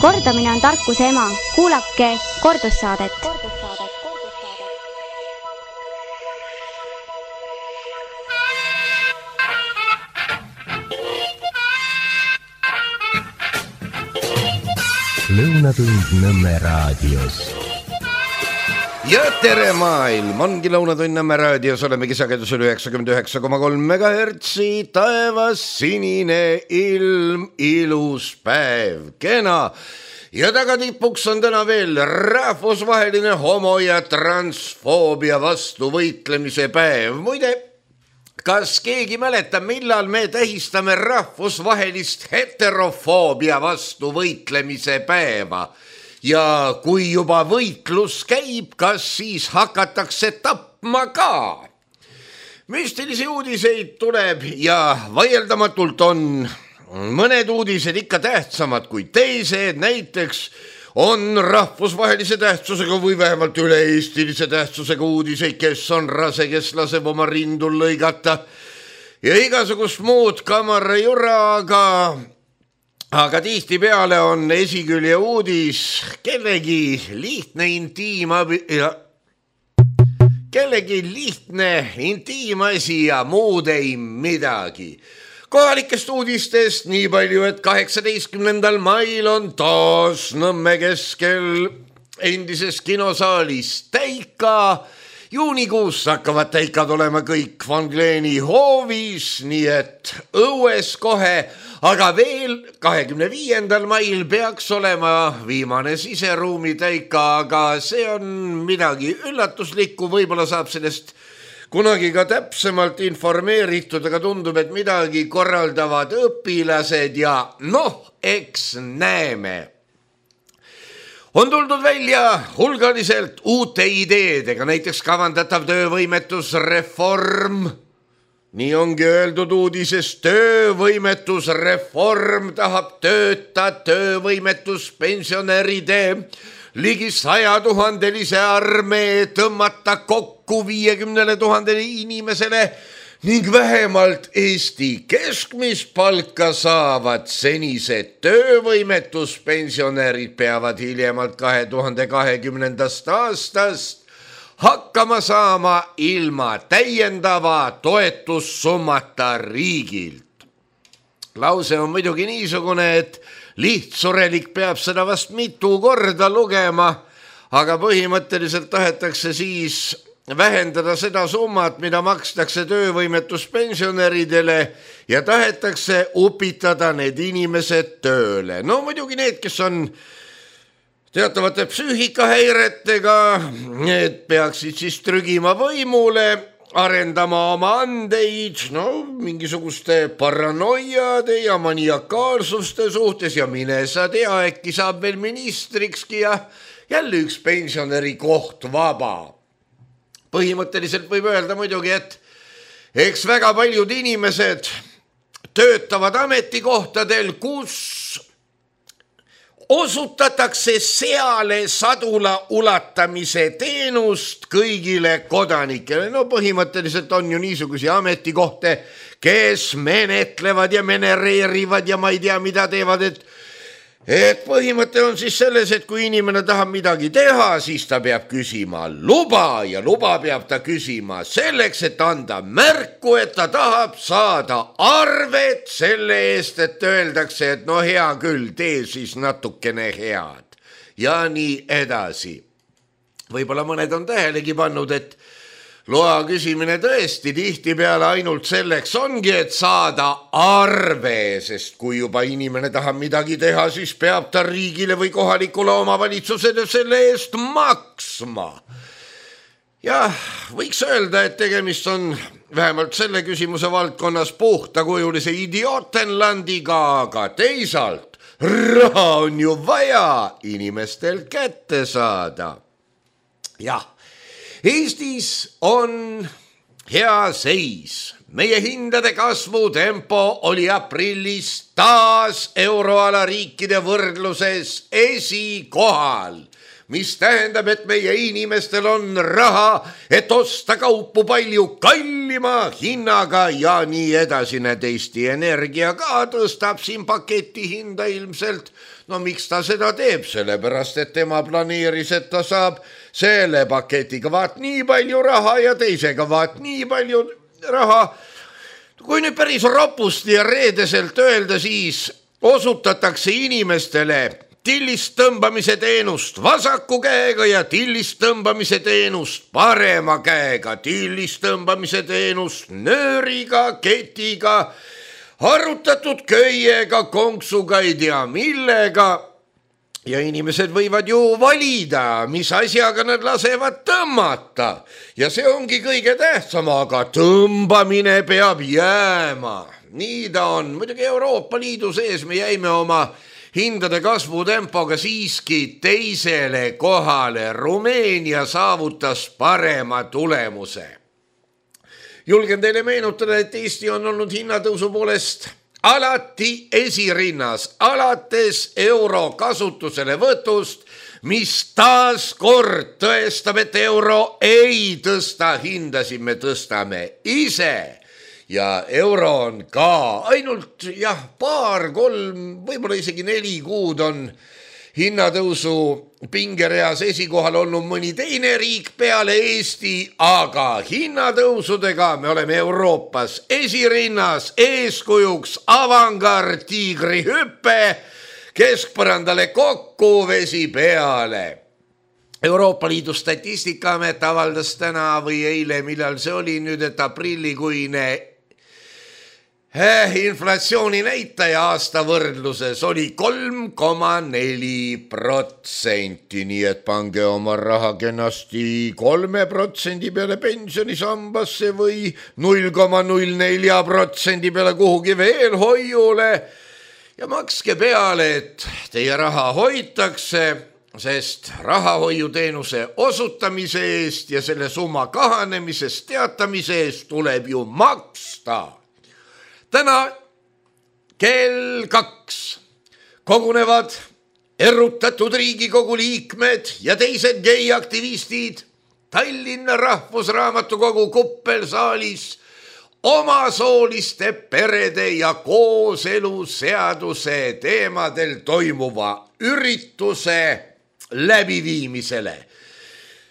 Kordamine on tarkuse ema. Kuulake kordussaadet. Lõunatund Nõmme raadios. Ja tere maailm, ongi Lõunatund Nõmme raadios, olemegi sagedusel 99,3 MHz, taevas sinine ilm, ilus päev, kena. Ja tagatipuks on täna veel rahvusvaheline homo- ja transfoobia vastu võitlemise päev. Muide, kas keegi mäletab, millal me tähistame rahvusvahelist heterofoobia vastu võitlemise päeva? Ja kui juba võitlus käib, kas siis hakatakse tapma ka? Müstilisi uudiseid tuleb ja vaieldamatult on mõned uudised ikka tähtsamad kui teised. Näiteks on rahvusvahelise tähtsusega või vähemalt üle-eestilise tähtsusega uudiseid, kes on rase, kes laseb oma rindul lõigata ja igasugust muud kamarajura, aga tihtipeale on esikülje uudis kellegi lihtne intiimasi ja muud ei midagi. Kohalikest uudistest nii palju, et 18. mail on taas Nõmme keskel endises kinosaalis täika. Juunikuus hakkavad täikad olema kõik Van Gleeni hoovis, nii et õues kohe, aga veel 25. mail peaks olema viimane siseruumi täika, aga see on midagi üllatuslikku, võib-olla saab sellest kunagi ka täpsemalt informeeritud, aga tundub, et midagi korraldavad õpilased ja eks näeme. On tuldud välja hulgaliselt uute ideedega, näiteks kavandatav töövõimetusreform. Nii ongi öeldud uudises, töövõimetusreform tahab töövõimetuspensionäride ligi 100 000-lise armee tõmmata kokku 50 000 inimesele ning vähemalt Eesti keskmist palka saavad senised töövõimetuspensionärid peavad hiljemalt 2020. aastast hakkama saama ilma täiendava toetussummata riigilt. Lause on muidugi niisugune, et lihtsurelik peab seda vast mitu korda lugema, aga põhimõtteliselt tahetakse siis vähendada seda summat, mida makstakse töövõimetuspensionäridele ja tahetakse upitada need inimesed tööle. No muidugi need, kes on teatavate psüühikahäiretega, need peaksid siis trügima võimule, arendama oma andeid, mingisuguste paranoiade ja maniakaalsuste suhtes ja mine sa tea, äkki saab veel ministrikski ja jälle üks pensionäri koht vaba. Põhimõtteliselt võib öelda muidugi, et eks väga paljud inimesed töötavad ametikohtadel, kus osutatakse seale sadula ulatamise teenust kõigile kodanikele. Põhimõtteliselt on ju niisugusi ametikohti, kes menetlevad ja menereerivad ja ma ei tea, mida teevad, et põhimõte on siis selles, et kui inimene tahab midagi teha, siis ta peab küsima luba ja luba peab ta küsima selleks, et anda märku, et ta tahab saada arvet selle eest, et öeldakse, et hea küll, tee siis natukene head ja nii edasi. Võib-olla mõned on tähelegi pannud, et loa küsimine tõesti tihtipeale ainult selleks ongi, et saada arve, sest kui juba inimene tahab midagi teha, siis peab ta riigile või kohalikule omavalitsusele selle eest maksma. Ja võiks öelda, et tegemist on vähemalt selle küsimuse valdkonnas puhtakujulise idiootenlandiga, aga teisalt raha on ju vaja inimestel kätte saada. Jah. Eestis on hea seis. Meie hindade kasvu tempo oli aprillis taas euroala riikide võrdluses esikohal. mis tähendab, et meie inimestel on raha, et osta kaupu palju kallima hinnaga ja nii edasi. Need Eesti Energia ka tõstab siin paketi hinda ilmselt. No miks ta seda teeb? Sellepärast, et tema planeeris, et ta saab selle paketiga vaat nii palju raha ja teisega vaat nii palju raha. Kui nüüd päris ropusti ja reedeselt öelda, siis osutatakse inimestele tillist tõmbamise teenust vasaku käega ja tillist tõmbamise teenust parema käega, tillist tõmbamise teenust nööriga, ketiga, harutatud köiega, konksuga, ei tea millega. Ja inimesed võivad ju valida, mis asjaga nad lasevad tõmmata. Ja see ongi kõige tähtsam, aga tõmbamine peab jääma. Nii ta on. Muidugi Euroopa Liidu sees me jäime oma hindade kasvutempoga siiski teisele kohale. Rumeenia saavutas parema tulemuse. Julgen teile meenutada, et Eesti on olnud hinnatõusu poolest alati esirinnas, alates euro kasutusele võtust, mis taas kord tõestab, et euro ei tõsta hindasid, me tõstame ise. Ja euro on ka ainult paar, 3, võib-olla isegi 4 kuud on hinnatõusu pingereas esikohal olnud mõni teine riik peale Eesti, aga hinnatõusudega me oleme Euroopas esirinnas, eeskujuks avangard, tiigri hüppe, keskpõrandale kokku, vesi peale. Euroopa Liidu Statistikaamet avaldas täna või eile, millal see oli nüüd, et aprillikuine inflatsiooni näitaja aasta võrdluses oli 3,4%, nii et pange oma raha kenasti 3% peale pensionisambasse või 0,04% peale kuhugi veel hoiule ja makske peale, et teie raha hoitakse, sest rahahoiuteenuse osutamise eest ja selle summa kahanemisest teatamise eest tuleb ju maksta. Täna kell 2 kogunevad erutatud Riigikogu liikmed ja teised geiaktivistid Tallinna Rahvusraamatukogu kuppelsaalis omasooliste perede ja kooseluseaduse teemadel toimuva ürituse läbiviimisele.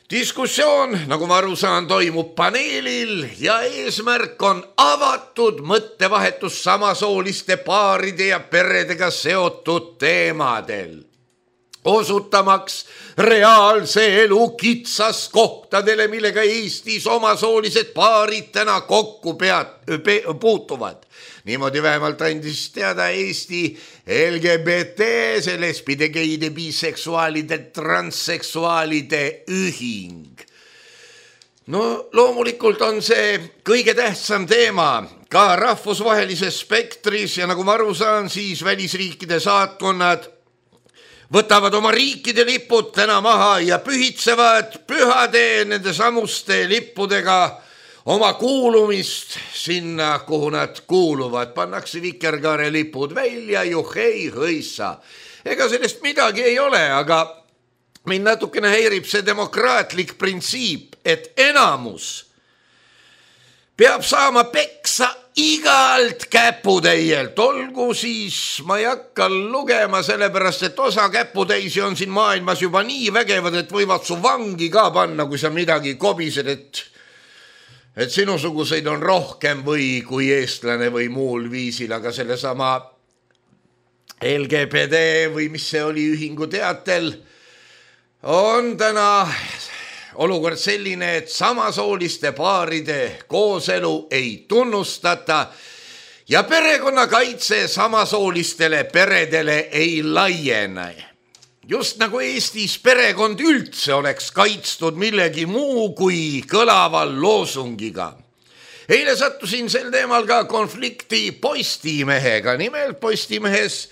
Diskussioon, nagu ma aru saan, toimub paneelil ja eesmärk on avatud mõttevahetus samasooliste paaride ja peredega seotud teemadel. Osutamaks reaalse elu kitsaskohtadele, millega Eestis omasoolised paarid täna kokku puutuvad. Niimoodi vähemalt andis teada Eesti LGBT, see lesbide, geide, biseksuaalide, transseksuaalide ühing. No loomulikult on see kõige tähtsam teema ka rahvusvahelises spektris ja nagu ma aru saan, siis välisriikide saatkonnad võtavad oma riikide lipud täna maha ja pühitsevad pühade nende samuste lippudega oma kuulumist sinna, kuhu nad kuuluvad. Pannakse vikerkaare lipud välja, juhei, hõissa. Ega sellest midagi ei ole, aga mind natukene häirib see demokraatlik printsiip, et enamus peab saama peksa igalt käputäielt. Olgu siis, ma ei hakka lugema, sellepärast, et osa käputäisi on siin maailmas juba nii vägevad, et võivad su vangi ka panna, kui sa midagi kobised, et sinusuguseid on rohkem või kui eestlane või muul viisil, aga sellesama LGBT või mis see oli ühingu teatel on täna olukord selline, et samasooliste paaride kooselu ei tunnustata ja perekonnakaitse samasoolistele peredele ei laiene. Just nagu Eestis perekond üldse oleks kaitstud millegi muu kui kõlaval loosungiga. Eile sattusin sel teemal ka konflikti Postimehega. Nimelt Postimehes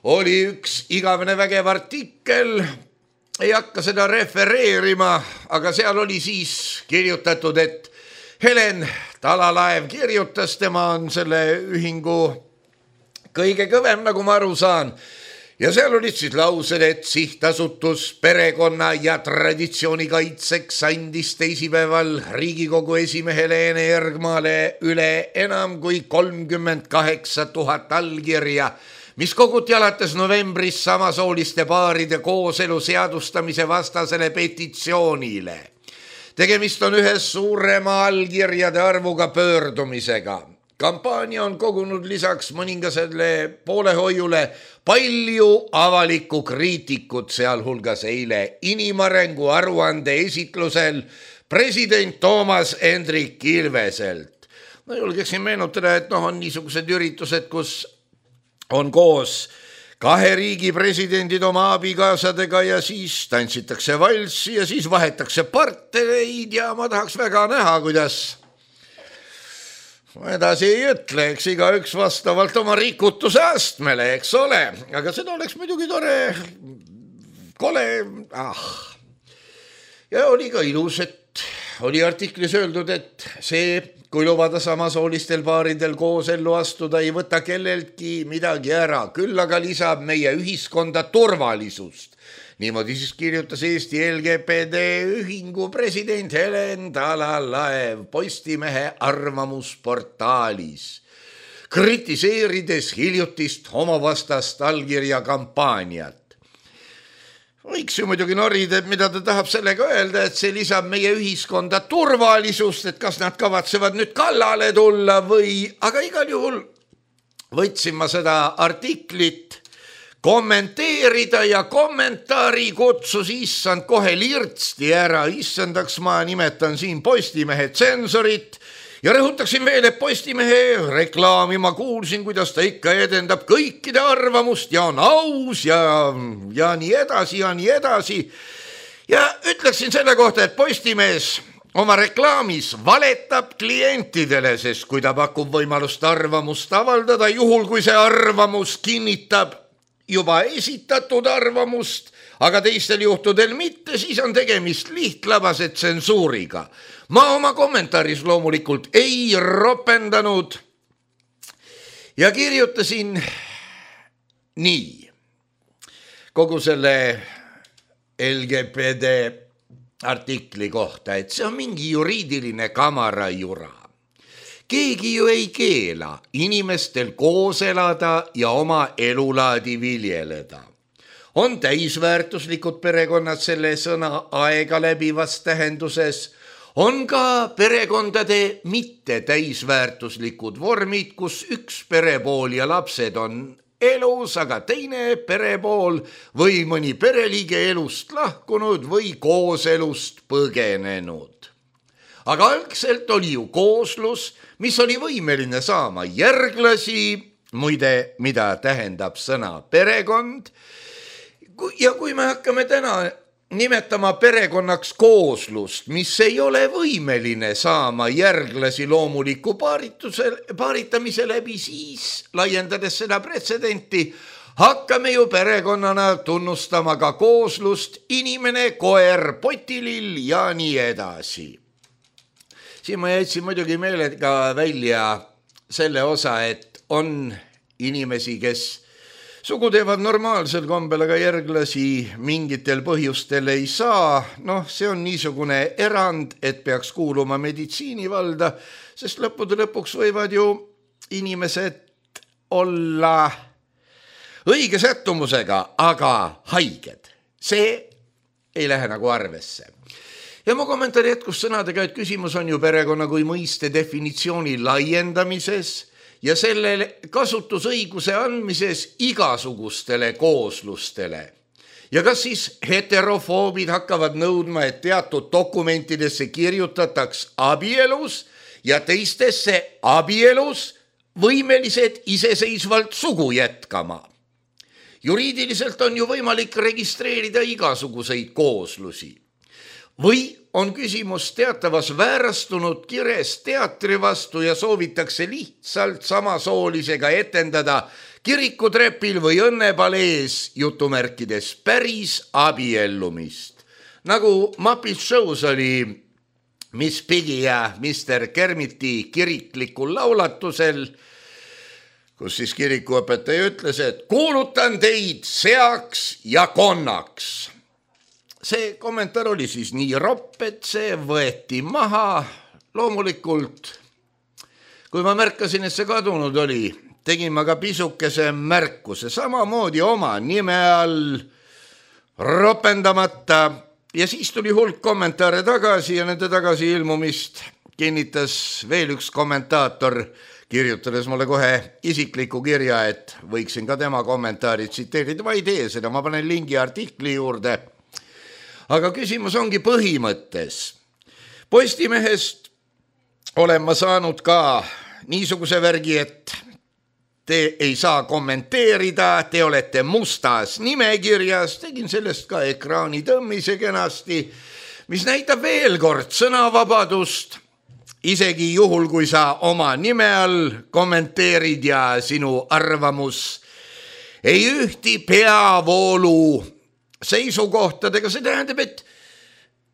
oli üks igavene vägev artikkel, ei hakka seda refereerima, aga seal oli siis kirjutatud, et Helen Talalaev kirjutas, tema on selle ühingu kõige kõvem, nagu ma aru saan. ja seal olid siis laused, et sihtasutus perekonna ja traditsiooni kaitseks andis teisipäeval Riigikogu esimehele Ene Ergmale üle enam kui 38 000 allkirja, mis koguti alates novembris samasooliste paaride kooselu seadustamise vastasele petitsioonile. Tegemist on ühe suurema allkirjade arvuga pöördumisega. Kampaania on kogunud lisaks mõningasele poolehoiule palju avalikku kriitikut, sealhulgas eile inimarengu aruande esitlusel president Toomas Hendrik Ilveselt. No julgeksin meenutada, et on niisugused üritused, kus on koos kahe riigi presidendid oma abikaasadega ja siis tantsitakse valssi ja siis vahetakse partnereid ja ma tahaks väga näha, kuidas ma edasi ei ütle, eks igaüks vastavalt oma rikutuse astmele, eks ole, aga seda oleks muidugi tore, kole, Ja oli ka ilus, et oli artiklis öeldud, et see, kui lubada samasoolistel paaridel koos ellu astuda, ei võta kelleltki midagi ära, küll aga lisab meie ühiskonda turvalisust. Niimoodi siis kirjutas Eesti LGBT ühingu president Helen Talalaev Postimehe arvamusportaalis, kritiseerides hiljutist homovastast allkirja kampaaniat. Võiks ju muidugi norida, et mida ta tahab sellega öelda, et see lisab meie ühiskonda turvalisust, et kas nad kavatsevad nüüd kallale tulla või, aga igal juhul võtsin ma seda artiklit kommenteerida ja kommentaari kutsus issand kohe lirtsti ära, issandaks ma nimetan siin Postimehe tsensorit ja rõhutaksin veel, et Postimehe reklaami ma kuulsin, kuidas ta ikka edendab kõikide arvamust ja on aus ja nii edasi ja nii edasi. Ja ütleksin selle kohta, et Postimees oma reklaamis valetab klientidele, sest kui ta pakub võimalust arvamust avaldada, juhul kui see arvamus kinnitab juba esitatud arvamust, aga teistel juhtudel mitte, siis on tegemist lihtlabase tsensuuriga. Ma oma kommentaaris loomulikult ei ropendanud ja kirjutasin nii kogu selle LGBT artikli kohta, et see on mingi juriidiline kamarajura. Keegi ju ei keela inimestel koos elada ja oma elulaadi viljeleda. On täisväärtuslikud perekonnad selle sõna aega läbivas tähenduses, on ka perekondade mitte täisväärtuslikud vormid, kus üks perepool ja lapsed on elus, aga teine perepool või mõni pereliige elust lahkunud või kooselust põgenenud. Aga algselt oli ju kooslus, mis oli võimeline saama järglasi, muide, mida tähendab sõna perekond. Ja kui me hakkame täna nimetama perekonnaks kooslust, mis ei ole võimeline saama järglasi loomuliku paaritamise läbi, siis laiendades seda pretsedenti, hakkame ju perekonnana tunnustama ka kooslust, inimene, koer, potilill ja nii edasi. Siin ma jätsin muidugi meelega välja selle osa, et on inimesi, kes sugu teevad normaalsel kombel, aga järglasi mingitel põhjustel ei saa. See on niisugune erand, et peaks kuuluma meditsiinivalda, sest lõppude lõpuks võivad ju inimesed olla õige sättumusega, aga haiged. See ei lähe nagu arvesse. Ja mu kommentaari jätkus sõnadega, et küsimus on ju perekonna kui mõiste definitsiooni laiendamises ja selle kasutusõiguse andmises igasugustele kooslustele. Ja kas siis heterofoobid hakkavad nõudma, et teatud dokumentidesse kirjutataks abielus ja teistesse abielus võimelised iseseisvalt sugu jätkama? Juriidiliselt on ju võimalik registreerida igasuguseid kooslusi. Või on küsimus teatavas väärastunud kires teatri vastu ja soovitakse lihtsalt samasoolisega etendada kirikutrepil või õnnepalees jutumärkides päris abiellumist. Nagu Muppet Shows oli Miss Piggy ja Mr. Kermiti kiriklikul laulatusel, kus siis kirikuõpetaja ütles, et kuulutan teid seaks ja konnaks. See kommentaar oli siis nii ropp, et see võeti maha. Loomulikult, kui ma märkasin, et see kadunud oli, tegin ma ka pisukese märkuse, samamoodi oma nime all ropendamata ja siis tuli hulk kommentaare tagasi ja nende tagasi ilmumist kinnitas veel üks kommentaator, kirjutades mulle kohe isikliku kirja, et võiksin ka tema kommentaari tsiteerida. Ma ei tee seda, ma panen lingi artikli juurde. Aga küsimus ongi põhimõttes. Postimehest olen ma saanud ka niisuguse värgi, et te ei saa kommenteerida, te olete mustas nimekirjas, tegin sellest ka ekraani tõmmise kenasti, mis näitab veel kord sõnavabadust, isegi juhul, kui sa oma nime all kommenteerid ja sinu arvamus ei ühti peavoolu seisukohtadega, see tähendab,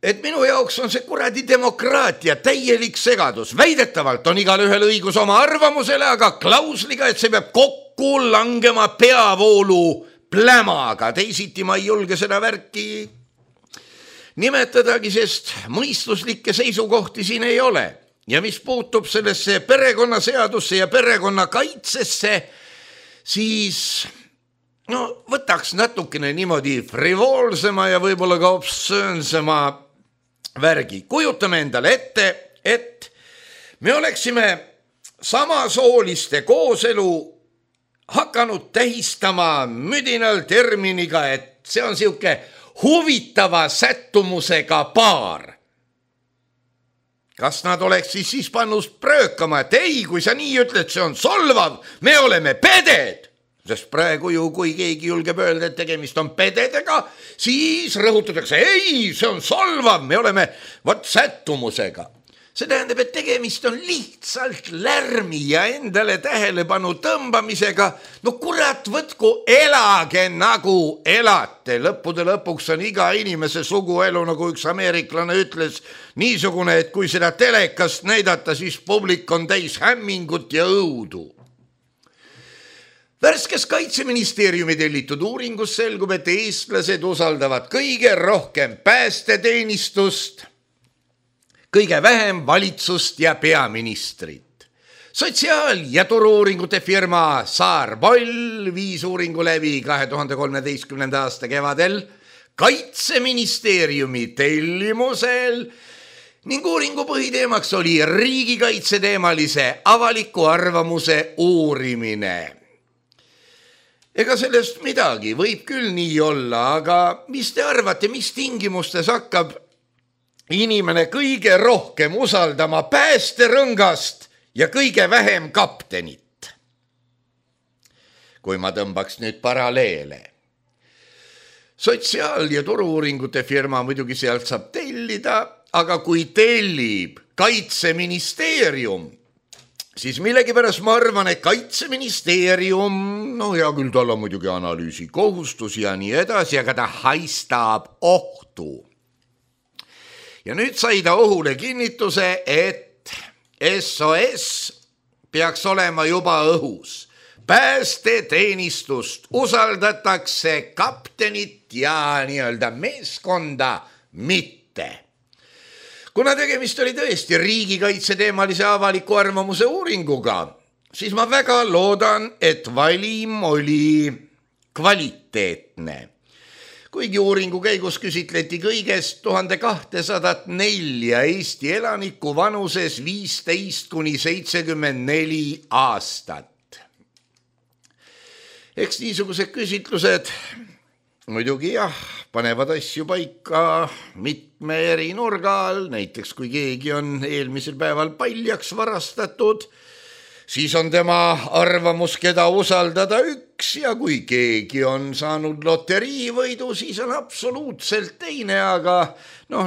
et minu jaoks on see kuradi demokraatia täielik segadus. Väidetavalt on igal ühel õigus oma arvamusele, aga klausliga, et see peab kokku langema peavoolu plämaga. Teisiti ma ei julge seda värki nimetadagi, sest mõistuslikke seisukohti siin ei ole. Ja mis puutub sellesse perekonnaseadusse ja perekonnakaitsesse, siis võtaks natukene niimoodi frivoolsema ja võib-olla ka obsöönsema värgi. Kujutame endale ette, et me oleksime samasooliste kooselu hakanud tähistama müdinal terminiga, et see on siuke huvitava sättumusega paar. Kas nad oleks siis pannus pröökama, et ei, kui sa nii ütled, see on solvav, me oleme peded. Sest praegu ju, kui keegi julgeb öelda, et tegemist on pededega, siis rõhutatakse, ei, see on solvav, me oleme sättumusega. See tähendab, et tegemist on lihtsalt lärmi ja endale tähelepanu tõmbamisega. No kurat, võtku, elage nagu elate. Lõppude lõpuks on iga inimese suguelu, nagu üks ameeriklane ütles, niisugune, et kui seda telekast näidata, siis publik on täis hämmingut ja õudu. Värskes Kaitseministeeriumi tellitud uuringus selgub, et eestlased usaldavad kõige rohkem päästeteenistust, kõige vähem valitsust ja peaministrit. Sotsiaal- ja turu-uuringute firma Saar Boll viis uuringu läbi 2013. aasta kevadel Kaitseministeeriumi tellimusel ning uuringu põhiteemaks oli riigikaitseteemalise avaliku arvamuse uurimine. Ega sellest midagi, võib küll nii olla, aga mis te arvate, mis tingimustes hakkab inimene kõige rohkem usaldama päästerõngast ja kõige vähem kaptenit? Kui ma tõmbaks nüüd paralleele. Sotsiaal- ja turu-uuringute firma muidugi sealt saab tellida, aga kui tellib Kaitseministeerium, siis millegipärast ma arvan, et Kaitseministeerium, hea küll, tal on muidugi analüüsi kohustus ja nii edasi, aga ta haistab ohtu. Ja nüüd sai ta ohule kinnituse, et SOS peaks olema juba õhus. Päästeteenistust usaldatakse, kaptenit ja nii-öelda meeskonda mitte. Kuna tegemist oli tõesti riigikaitseteemalise avaliku arvamuse uuringuga, siis ma väga loodan, et valim oli kvaliteetne. Kuigi uuringu käigus küsitleti kõigest 1204 Eesti elanikku vanuses 15–74 aastat. Eks niisugused küsitlused muidugi panevad asju paika mitme eri nurga all, näiteks kui keegi on eelmisel päeval paljaks varastatud, siis on tema arvamus, keda usaldada üks, ja kui keegi on saanud loteriivõidu, siis on absoluutselt teine, aga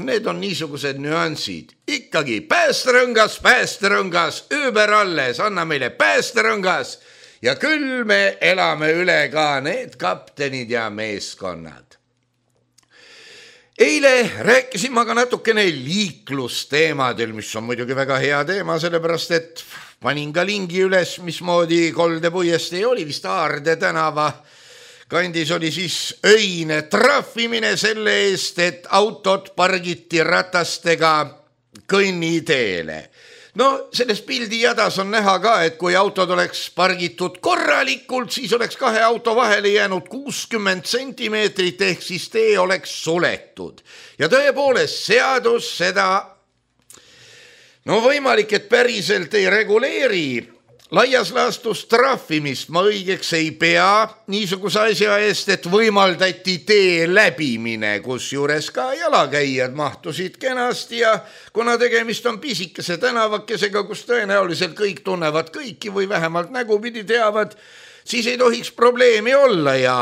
need on niisugused nüansid. Ikkagi päästerõngas, ööber alles, anna meile päästerõngas ja küll me elame üle ka need kaptenid ja meeskonnad. Eile rääkisin ma ka natukene liiklusteemadel, mis on muidugi väga hea teema, sellepärast et panin ka lingi üles, mismoodi Kolde puiestee oli, vist Aarde tänava kandis oli siis öine trahvimine selle eest, et autod pargiti ratastega kõnniteele. No selles pildi jadas on näha ka, et kui autod oleks pargitud korralikult, siis oleks kahe auto vahele jäänud 60 sentimeetrit ehk siis tee oleks suletud. Ja tõepoolest seadus seda, no võimalik, et päriselt ei reguleeri. Laias laastus trahvimist ma õigeks ei pea niisuguse asja eest, et võimaldati tee läbimine, kus juures ka jalakäijad mahtusid kenasti ja kuna tegemist on pisikese tänavakesega, kus tõenäoliselt kõik tunnevad kõiki või vähemalt nägupidi teavad, siis ei tohiks probleemi olla ja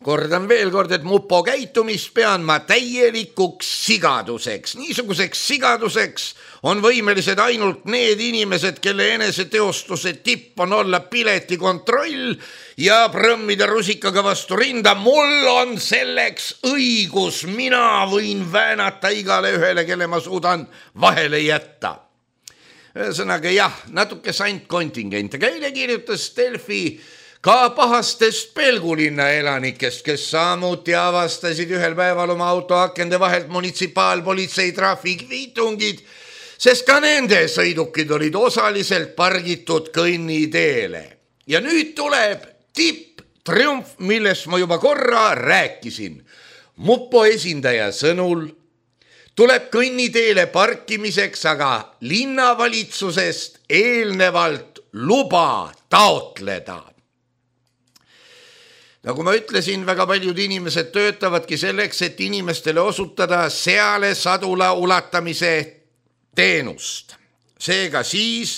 kordan veel kord, et mupo käitumist pean ma täielikuks sigaduseks. Niisuguseks sigaduseks on võimelised ainult need inimesed, kelle eneseteostuse tipp on olla piletikontroll ja prõmmida rusikaga vastu rinda. Mul on selleks õigus, mina võin väänata igale ühele, kelle ma suudan vahele jätta. Ühesõnaga jah, natuke sant kontingent, aga eile kirjutas Delfi ka pahastest Pelgulinna elanikest, kes samuti avastasid ühel päeval oma auto akende vahelt munitsipaalpolitsei trahvikviitungid, sest ka nende sõidukid olid osaliselt pargitud kõnniteele. Ja nüüd tuleb tipptriumf, millest ma juba korra rääkisin. Mupo esindaja sõnul tuleb kõnniteele parkimiseks aga linnavalitsusest eelnevalt luba taotleda. Nagu ma ütlesin, väga paljud inimesed töötavadki selleks, et inimestele osutada seale sadula ulatamise teenust. Seega siis,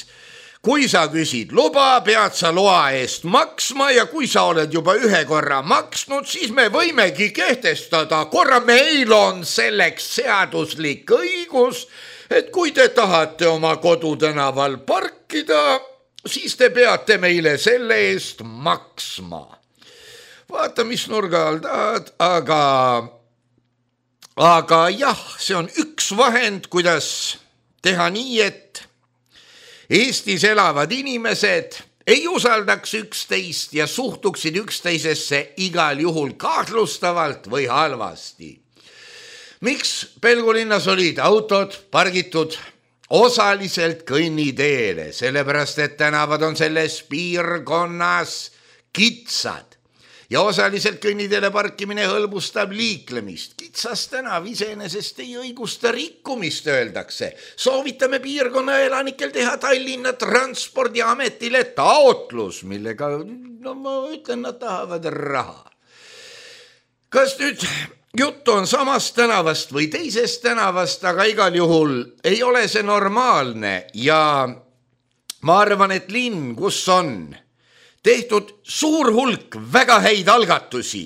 kui sa küsid luba, pead sa loa eest maksma ja kui sa oled juba ühe korra maksnud, siis me võimegi kehtestada korra, meil on selleks seaduslik õigus, et kui te tahate oma kodutänaval parkida, siis te peate meile selle eest maksma. Vaata, mis nurga all tahad, aga jah, see on üks vahend, kuidas teha nii, et Eestis elavad inimesed ei usaldaks üksteist ja suhtuksid üksteisesse igal juhul kahtlustavalt või halvasti. Miks Pelgulinnas olid autod pargitud osaliselt kõnniteele? Sellepärast, et tänavad on selles piirkonnas kitsad. Ja osaliselt kõnniteele parkimine hõlbustab liiklemist. Kitsas tänav iseenesest ei õigusta rikkumist, öeldakse. Soovitame piirkonna elanikel teha Tallinna Transpordiametile taotlus, millega, no ma ütlen, nad tahavad raha. Kas nüüd juttu on samast tänavast või teisest tänavast, aga igal juhul ei ole see normaalne ja ma arvan, et linn, kus on tehtud suur hulk väga häid algatusi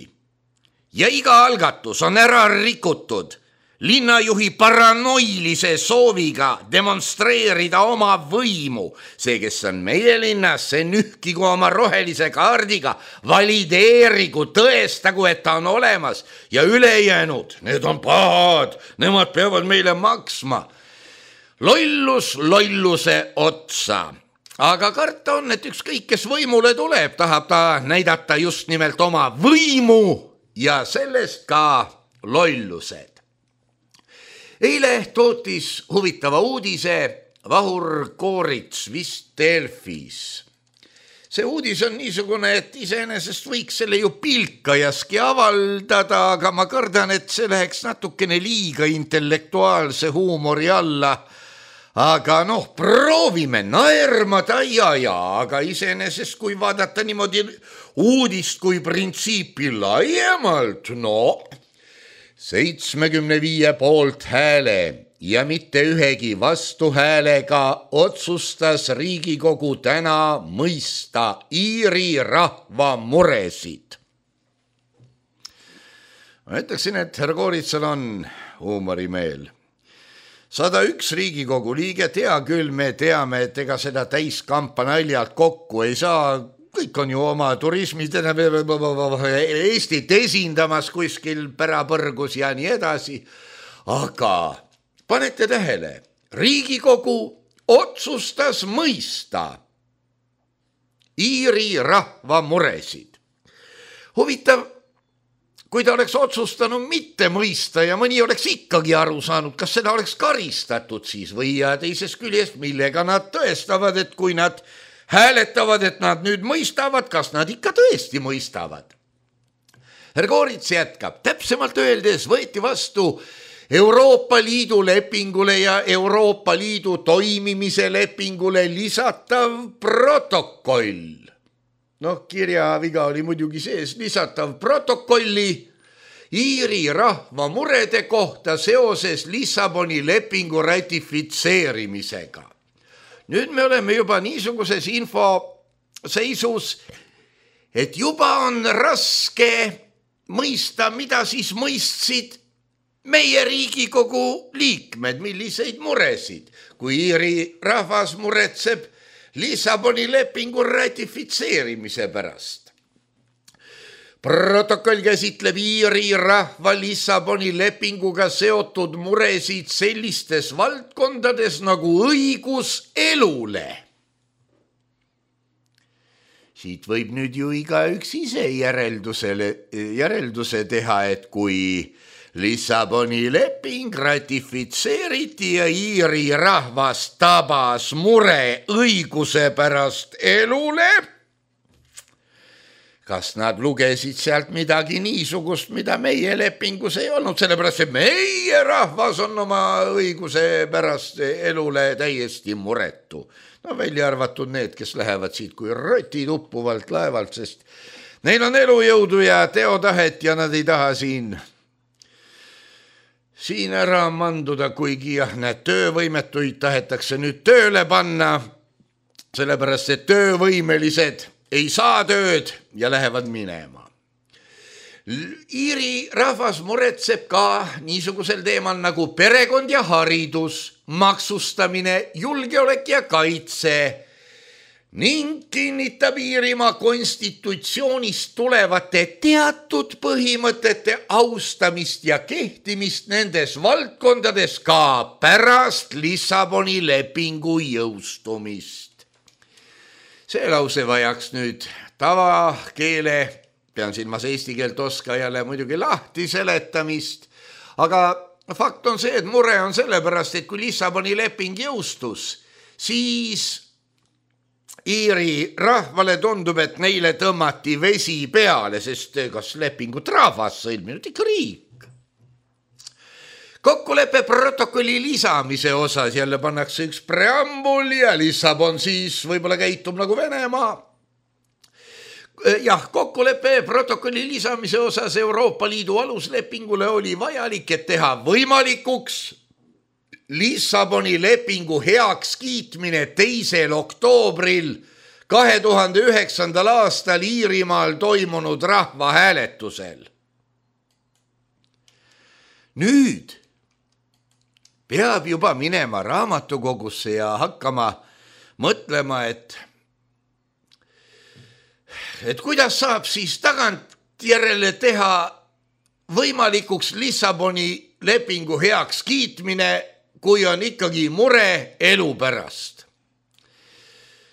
ja iga algatus on ära rikutud linnajuhi paranoilise sooviga demonstreerida oma võimu. See, kes on meie linnas, see nühkigu oma rohelise kaardiga, valideerigu, tõestagu, et ta on olemas ja ülejäänud, need on pahad, nemad peavad meile maksma. Lollus lolluse otsa. Aga karta on, et ükskõik, kes võimule tuleb, tahab ta näidata just nimelt oma võimu ja sellest ka lollused. Eile tootis huvitava uudise Vahur Koorits vist Delfis. See uudis on niisugune, et iseenesest võiks selle ju pilkajaski avaldada, aga ma kardan, et see läheks natukene liiga intellektuaalse huumori alla. Aga proovime naermada ja, aga iseenesest kui vaadata niimoodi uudist kui printsiipi laiemalt, 75 poolthääle ja mitte ühegi vastuhäälega otsustas Riigikogu täna mõista Iiri rahva muresid. Ma ütleksin, et härra Kooritsal on huumorimeel. 101 Riigikogu liiget, hea küll, me teame, et ega seda täiskampa naljalt kokku ei saa, kõik on ju oma turismid Eestit esindamas kuskil pärapõrgus ja nii edasi, aga panete tähele, Riigikogu otsustas mõista Iiri rahva muresid. Huvitav, kui ta oleks otsustanud mitte mõista ja mõni oleks ikkagi aru saanud, kas seda oleks karistatud siis või ja teisest küljest, millega nad tõestavad, et kui nad hääletavad, et nad nüüd mõistavad, kas nad ikka tõesti mõistavad. Härra Koorits jätkab, täpsemalt öeldes võeti vastu Euroopa Liidu lepingule ja Euroopa Liidu toimimise lepingule lisatav protokoll. Kirjaviga oli muidugi sees lisatav protokolli Iiri rahva murede kohta seoses Lissaboni lepingu ratifitseerimisega. Nüüd me oleme juba niisuguses infoseisus, et juba on raske mõista, mida siis mõistsid meie Riigikogu liikmed, milliseid muresid, kui Iiri rahvas muretseb Lissaboni lepingu ratifitseerimise pärast. Protokoll käsitleb Iiri rahva Lissaboni lepinguga seotud muresid sellistes valdkondades nagu õigus elule. Siit võib nüüd ju igaüks ise järelduse teha, et kui Lissaboni leping ratifitseeriti ja Iiri rahvas tabas mure õiguse pärast elule, kas nad lugesid sealt midagi niisugust, mida meie lepingus ei olnud, sellepärast et meie rahvas on oma õiguse pärast elule täiesti muretu. Välja arvatud need, kes lähevad siit kui rotid uppuvalt laevalt, sest neil on elujõudu ja teotahet ja nad ei taha siin ära manduda, kuigi need töövõimetuid tahetakse nüüd tööle panna, sellepärast et töövõimelised ei saa tööd ja lähevad minema. Iiri rahvas muretseb ka niisugusel teemal nagu perekond ja haridus, maksustamine, julgeolek ja kaitse ning kinnitab Iirimaa konstitutsioonist tulevate teatud põhimõtete austamist ja kehtimist nendes valdkondades ka pärast Lissaboni lepingu jõustumist. See lause vajaks nüüd tavakeele, pean silmas eesti keelt oskajale muidugi lahti seletamist, aga fakt on see, et mure on sellepärast, et kui Lissaboni leping jõustus, siis Iiri rahvale tundub, et neile tõmmati vesi peale, sest kas lepingut rahvas sõlminud ikka riik. Kokkuleppe protokolli lisamise osas jälle pannakse üks preambul ja Lissabon siis võib-olla käitub nagu Venemaa. Jah, kokkuleppe protokolli lisamise osas Euroopa Liidu aluslepingule oli vajalik, et teha võimalikuks Lissaboni lepingu heaks kiitmine 2. oktoobril 2009. aastal Iirimaal toimunud rahvahääletusel. Nüüd peab juba minema raamatukogusse ja hakkama mõtlema, et kuidas saab siis tagantjärele teha võimalikuks Lissaboni lepingu heaks kiitmine, kui on ikkagi mure elu pärast.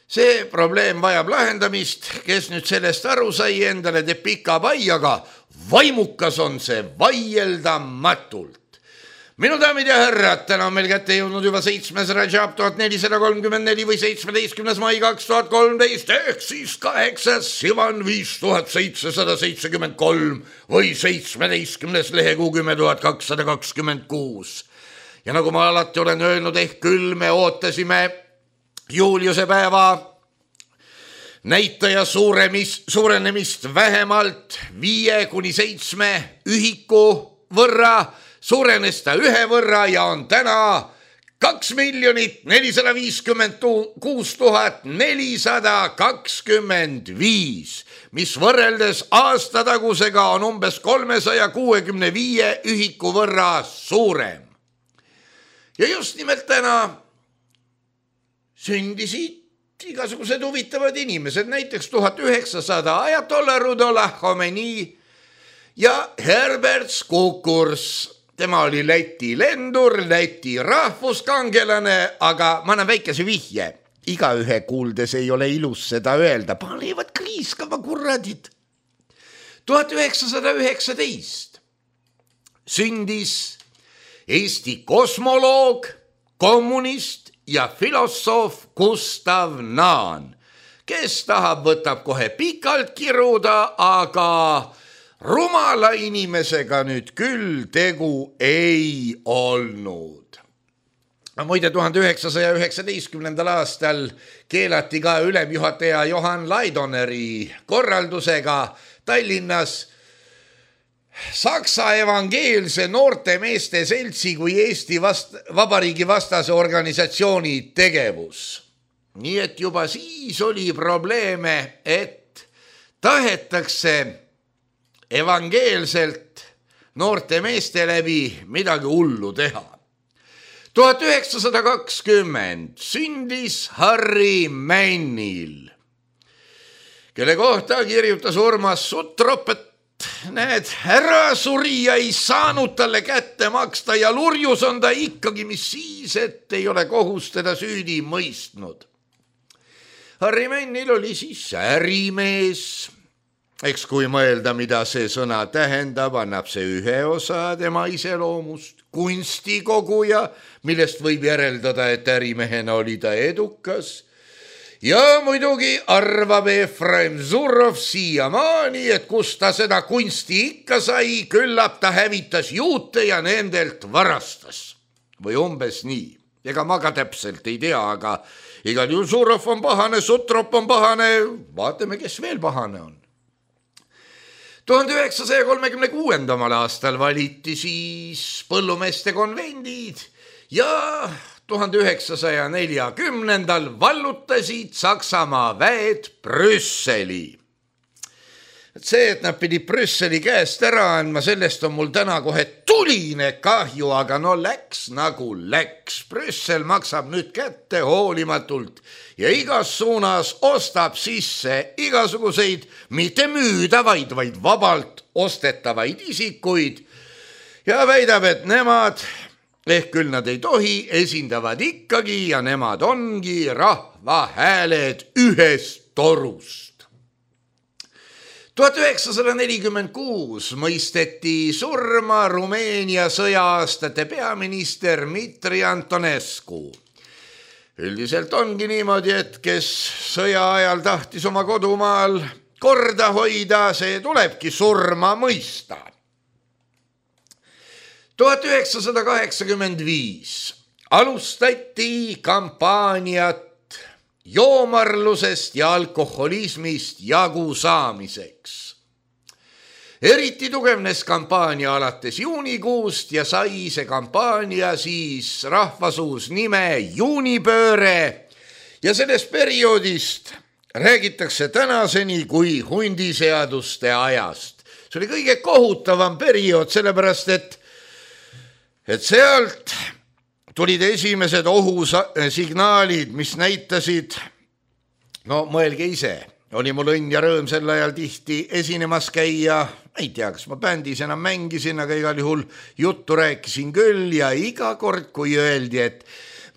See probleem vajab lahendamist, kes nüüd sellest aru sai, endale teeb pika pai, aga vaimukas on see vaieldamatult. Minu daamid ja härrad, täna on meil kätte jõudnud juba 7. Rajab 1434 või 17. mai 2013 ehk siis 8. Sivan 5773 või 17. lehekuu 10226. Ja nagu ma alati olen öelnud, ehk küll me ootasime Juliuse päeva näitaja suurenemist vähemalt 5–7 ühiku võrra, suurenes ta 1 võrra ja on täna 2 456 425, mis võrreldes aastatagusega on umbes 365 ühiku võrra suurem. Ja just nimelt täna sündisid igasugused huvitavad inimesed, näiteks 1900 ajatollah Rudollah Khomeini ja Herbert Skukurs, tema oli Läti lendur, Läti rahvuskangelane, aga ma annan väikese vihje. Igaühe kuuldes ei ole ilus seda öelda, panevad kriiskama kurradid. 1919 sündis Eesti kosmoloog, kommunist ja filosoof Gustav Naan, kes tahab, võtab kohe pikalt kiruda, aga rumala inimesega nüüd küll tegu ei olnud. Muide, 1919. aastal keelati ka ülemjuhataja Johan Laidoneri korraldusega Tallinnas Saksa evangeelse noorte meeste seltsi kui Eesti Vabariigi vastase organisatsiooni tegevus. Nii et juba siis oli probleeme, et tahetakse evangeelselt noorte meeste läbi midagi hullu teha. 1920 sündis Harry Männil, kelle kohta kirjutas Urmas Suttrop, et näed, ära surija ei saanud talle kätte maksta ja lurjus on ta ikkagi, mis siis, et ei ole kohus teda süüdi mõistnud. Harry Männil oli siis ärimees. Eks kui mõelda, mida see sõna tähendab, annab see ühe osa tema iseloomust, kunstikoguja, millest võib järeldada, et ärimehena oli ta edukas. Ja muidugi arvab Efraim Zurov siiamaani, et kus ta seda kunsti ikka sai, küllap ta hävitas juute ja nendelt varastas. Või umbes nii. Ega ma ka täpselt ei tea, aga igal juhul Zurov on pahane, Sutrop on pahane, vaatame, kes veel pahane on. 1936. aastal valiti siis põllumeeste konvendid ja 1940. vallutasid Saksamaa väed Brüsseli. See, et nad pidid Brüsseli käest ära andma, sellest on mul täna kohe tuline kahju, aga no läks nagu läks. Brüssel maksab nüüd kätte hoolimatult ja igas suunas ostab sisse igasuguseid mitte müüdavaid, vaid vabalt ostetavaid isikuid ja väidab, et nemad, ehk küll nad ei tohi, esindavad ikkagi ja nemad ongi rahva hääled ühest torust. 1946 mõisteti surma Rumeenia sõja-aastate peaminister Dmitri Antonescu. Üldiselt ongi niimoodi, et kes sõja ajal tahtis oma kodumaal korda hoida, see tulebki surma mõista. 1985 alustati kampaaniat joomarlusest ja alkoholismist jagu saamiseks. Eriti tugevnes kampaania alates juunikuust ja sai see kampaania siis rahvasuus nime juunipööre ja sellest perioodist räägitakse tänaseni kui hundiseaduste ajast. See oli kõige kohutavam periood, sellepärast et sealt tulid esimesed ohusignaalid, mis näitasid, no mõelge ise, oli mul õnn ja rõõm sel ajal tihti esinemas käia, ei tea, kas ma bändis enam mängisin, aga igal juhul juttu rääkisin küll ja iga kord, kui öeldi, et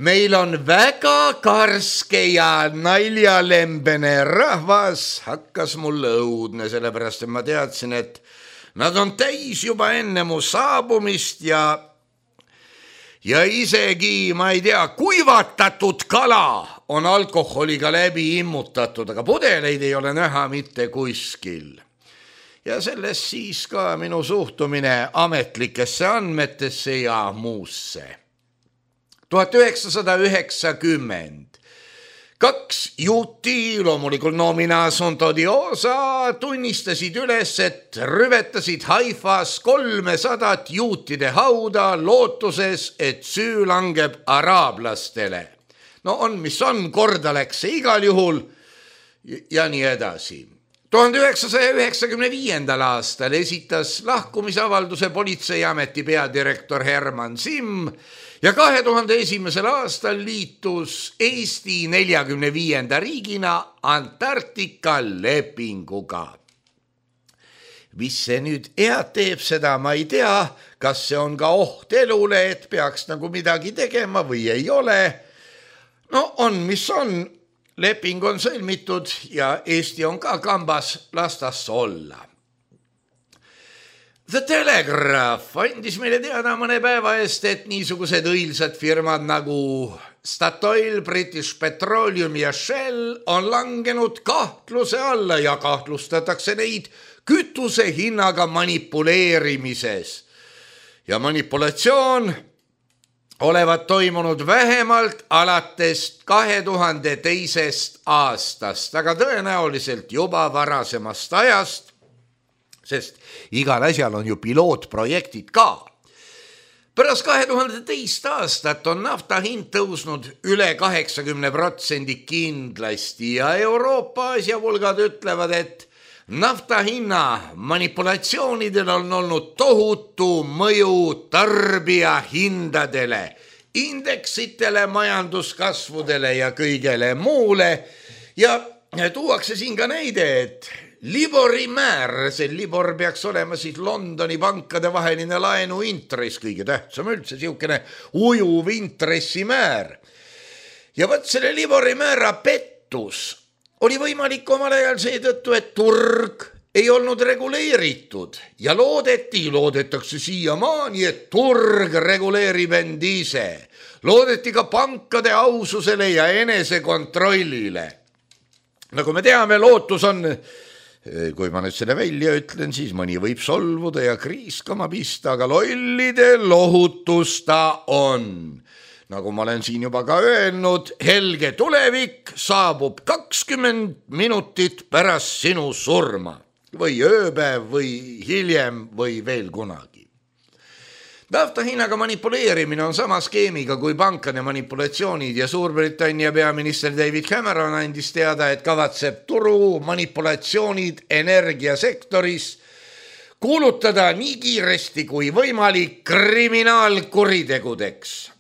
meil on väga karske ja naljalembene rahvas, hakkas mulle õudne, sellepärast et ma teadsin, et nad on täis juba enne mu saabumist ja isegi, ma ei tea, kuivatatud kala on alkoholiga läbi immutatud, aga pudeleid ei ole näha mitte kuskil. Ja sellest siis ka minu suhtumine ametlikesse andmetesse ja muusse. 1990 kaks juuti, loomulikult nomina Asunto Diosa, tunnistasid üles, et rüvetasid Haifas 300 juutide hauda lootuses, et süü langeb araablastele. No on, mis on, korda läks see igal juhul ja nii edasi. 1995. aastal esitas lahkumisavalduse politseiameti peadirektor Herman Simm ja 2001. aastal liitus Eesti 45. riigina Antarktika lepinguga. mis see nüüd head teeb, seda ma ei tea, kas see on ka oht elule, et peaks nagu midagi tegema või ei ole. No on, mis on, leping on sõlmitud ja Eesti on ka kambas, las tas olla. The Telegraph andis meile teada mõne päeva eest, et niisugused õilsad firmad nagu Statoil, British Petroleum ja Shell on langenud kahtluse alla ja kahtlustatakse neid kütuse hinnaga manipuleerimises. Ja manipulatsioon olevat toimunud vähemalt alates 2002. aastast, aga tõenäoliselt juba varasemast ajast, sest igal asjal on ju pilootprojektid ka. Pärast 2002. aastat on nafta hind tõusnud üle 80% kindlasti ja Euroopa asjavulgad ütlevad, et nafta hinna manipulatsioonidel on olnud tohutu mõju tarbija hindadele, indeksitele, majanduskasvudele ja kõigele muule ja tuuakse siin ka näide, et Libori määr, see Libor peaks olema siis Londoni pankade vaheline laenuintress, kõige tähtsam üldse, siukene ujuv intressimäär. Ja võt selle Libori määra pettus oli võimalik omal ajal seetõttu, et turg ei olnud reguleeritud ja loodetakse siiamaani, et turg reguleerib end ise. Loodeti ka pankade aususele ja enesekontrollile. Nagu me teame, lootus on, kui ma nüüd selle välja ütlen, siis mõni võib solvuda ja kriiskama pista, aga lollide lohutus ta on. Nagu ma olen siin juba ka öelnud, helge tulevik saabub 20 minutit pärast sinu surma või ööpäev või hiljem või veel kunagi. Nafta hinnaga manipuleerimine on sama skeemiga kui pankade manipulatsioonid ja Suurbritannia peaminister David Cameron andis teada, et kavatseb turu manipulatsioonid energiasektoris kuulutada nii kiiresti kui võimalik kriminaalkuritegudeks.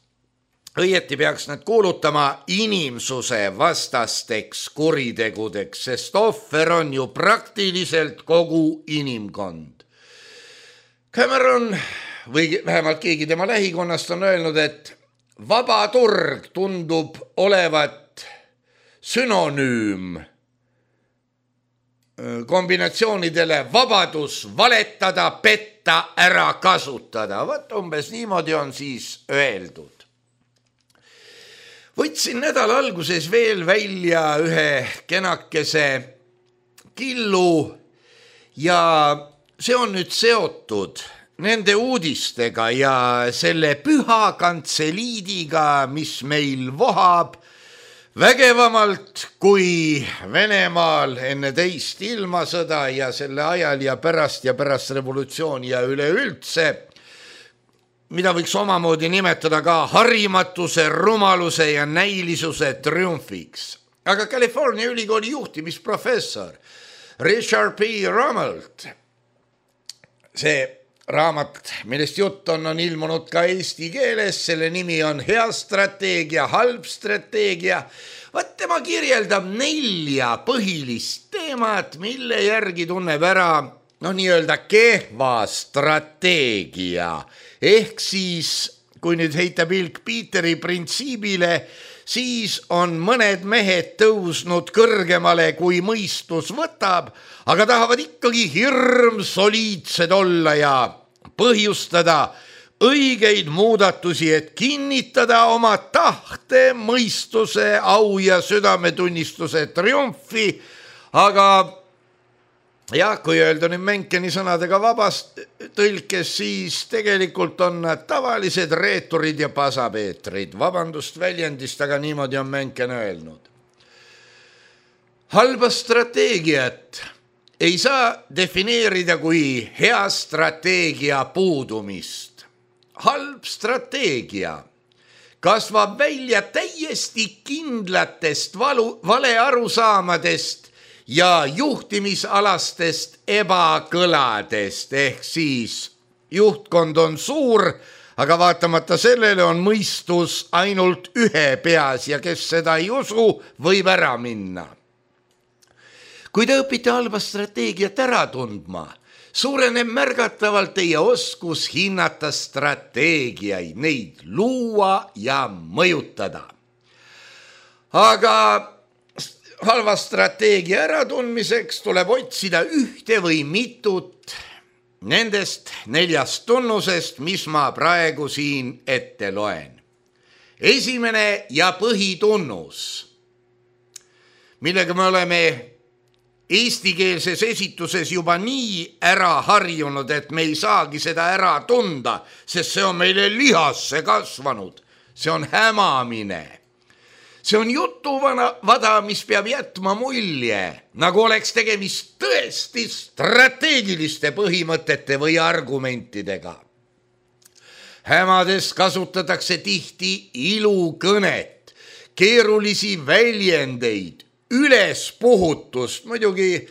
Õieti peaks nad kuulutama inimsuse vastasteks kuritegudeks, sest ohver on ju praktiliselt kogu inimkond. Cameron või vähemalt keegi tema lähikonnast on öelnud, et vaba turg tundub olevat sünonüüm kombinatsioonidele vabadus valetada, petta, ära kasutada. Võt umbes niimoodi on siis öeldud. Võtsin nädala alguses veel välja ühe kenakese killu ja see on nüüd seotud nende uudistega ja selle püha kantseliidiga, mis meil vohab vägevamalt kui Venemaal enne teist ilmasõda ja selle ajal ja pärast revolutsiooni ja üleüldse, mida võiks omamoodi nimetada ka harimatuse, rumaluse ja näilisuse triumfiks. Aga California ülikooli juhtimisprofessor Richard P. Rummelt, see raamat, millest jutt on ilmunud ka eesti keeles, selle nimi on Hea strateegia, halb strateegia. Vaat tema kirjeldab 4 põhilist teemat, mille järgi tunneb ära nii-öelda kehva strateegia. Ehk siis, kui nüüd heita pilk Peteri printsiibile, siis on mõned mehed tõusnud kõrgemale, kui mõistus võtab, aga tahavad ikkagi hirmsoliidsed olla ja põhjustada õigeid muudatusi, et kinnitada oma tahte, mõistuse, au ja südametunnistuse triumfi, aga jah, kui öelda nüüd Menkeni sõnadega vabast tõlkes, siis tegelikult on nad tavalised reeturid ja pasapeetrid. Vabandust väljendist, aga niimoodi on Menken öelnud. Halba strateegiat ei saa defineerida kui hea strateegia puudumist. Halb strateegia kasvab välja täiesti kindlatest valearusaamadest ja juhtimisalastest ebakõladest, ehk siis juhtkond on suur, aga vaatamata sellele on mõistus ainult ühe peas ja kes seda ei usu, võib ära minna. Kui te õpite halba strateegiat ära tundma, suureneb märgatavalt teie oskus hinnata strateegiaid, neid luua ja mõjutada. Aga halva strateegia äratundmiseks tuleb otsida ühte või mitut nendest 4 tunnusest, mis ma praegu siin ette loen. Esimene ja põhitunnus, millega me oleme eestikeelses esituses juba nii ära harjunud, et me ei saagi seda ära tunda, sest see on meile lihasse kasvanud. See on hämamine. See on jutuvada, mis peab jätma mulje, nagu oleks tegemist tõesti strateegiliste põhimõtete või argumentidega. Hämades kasutatakse tihti ilukõnet, keerulisi väljendeid, ülespuhutust. Muidugi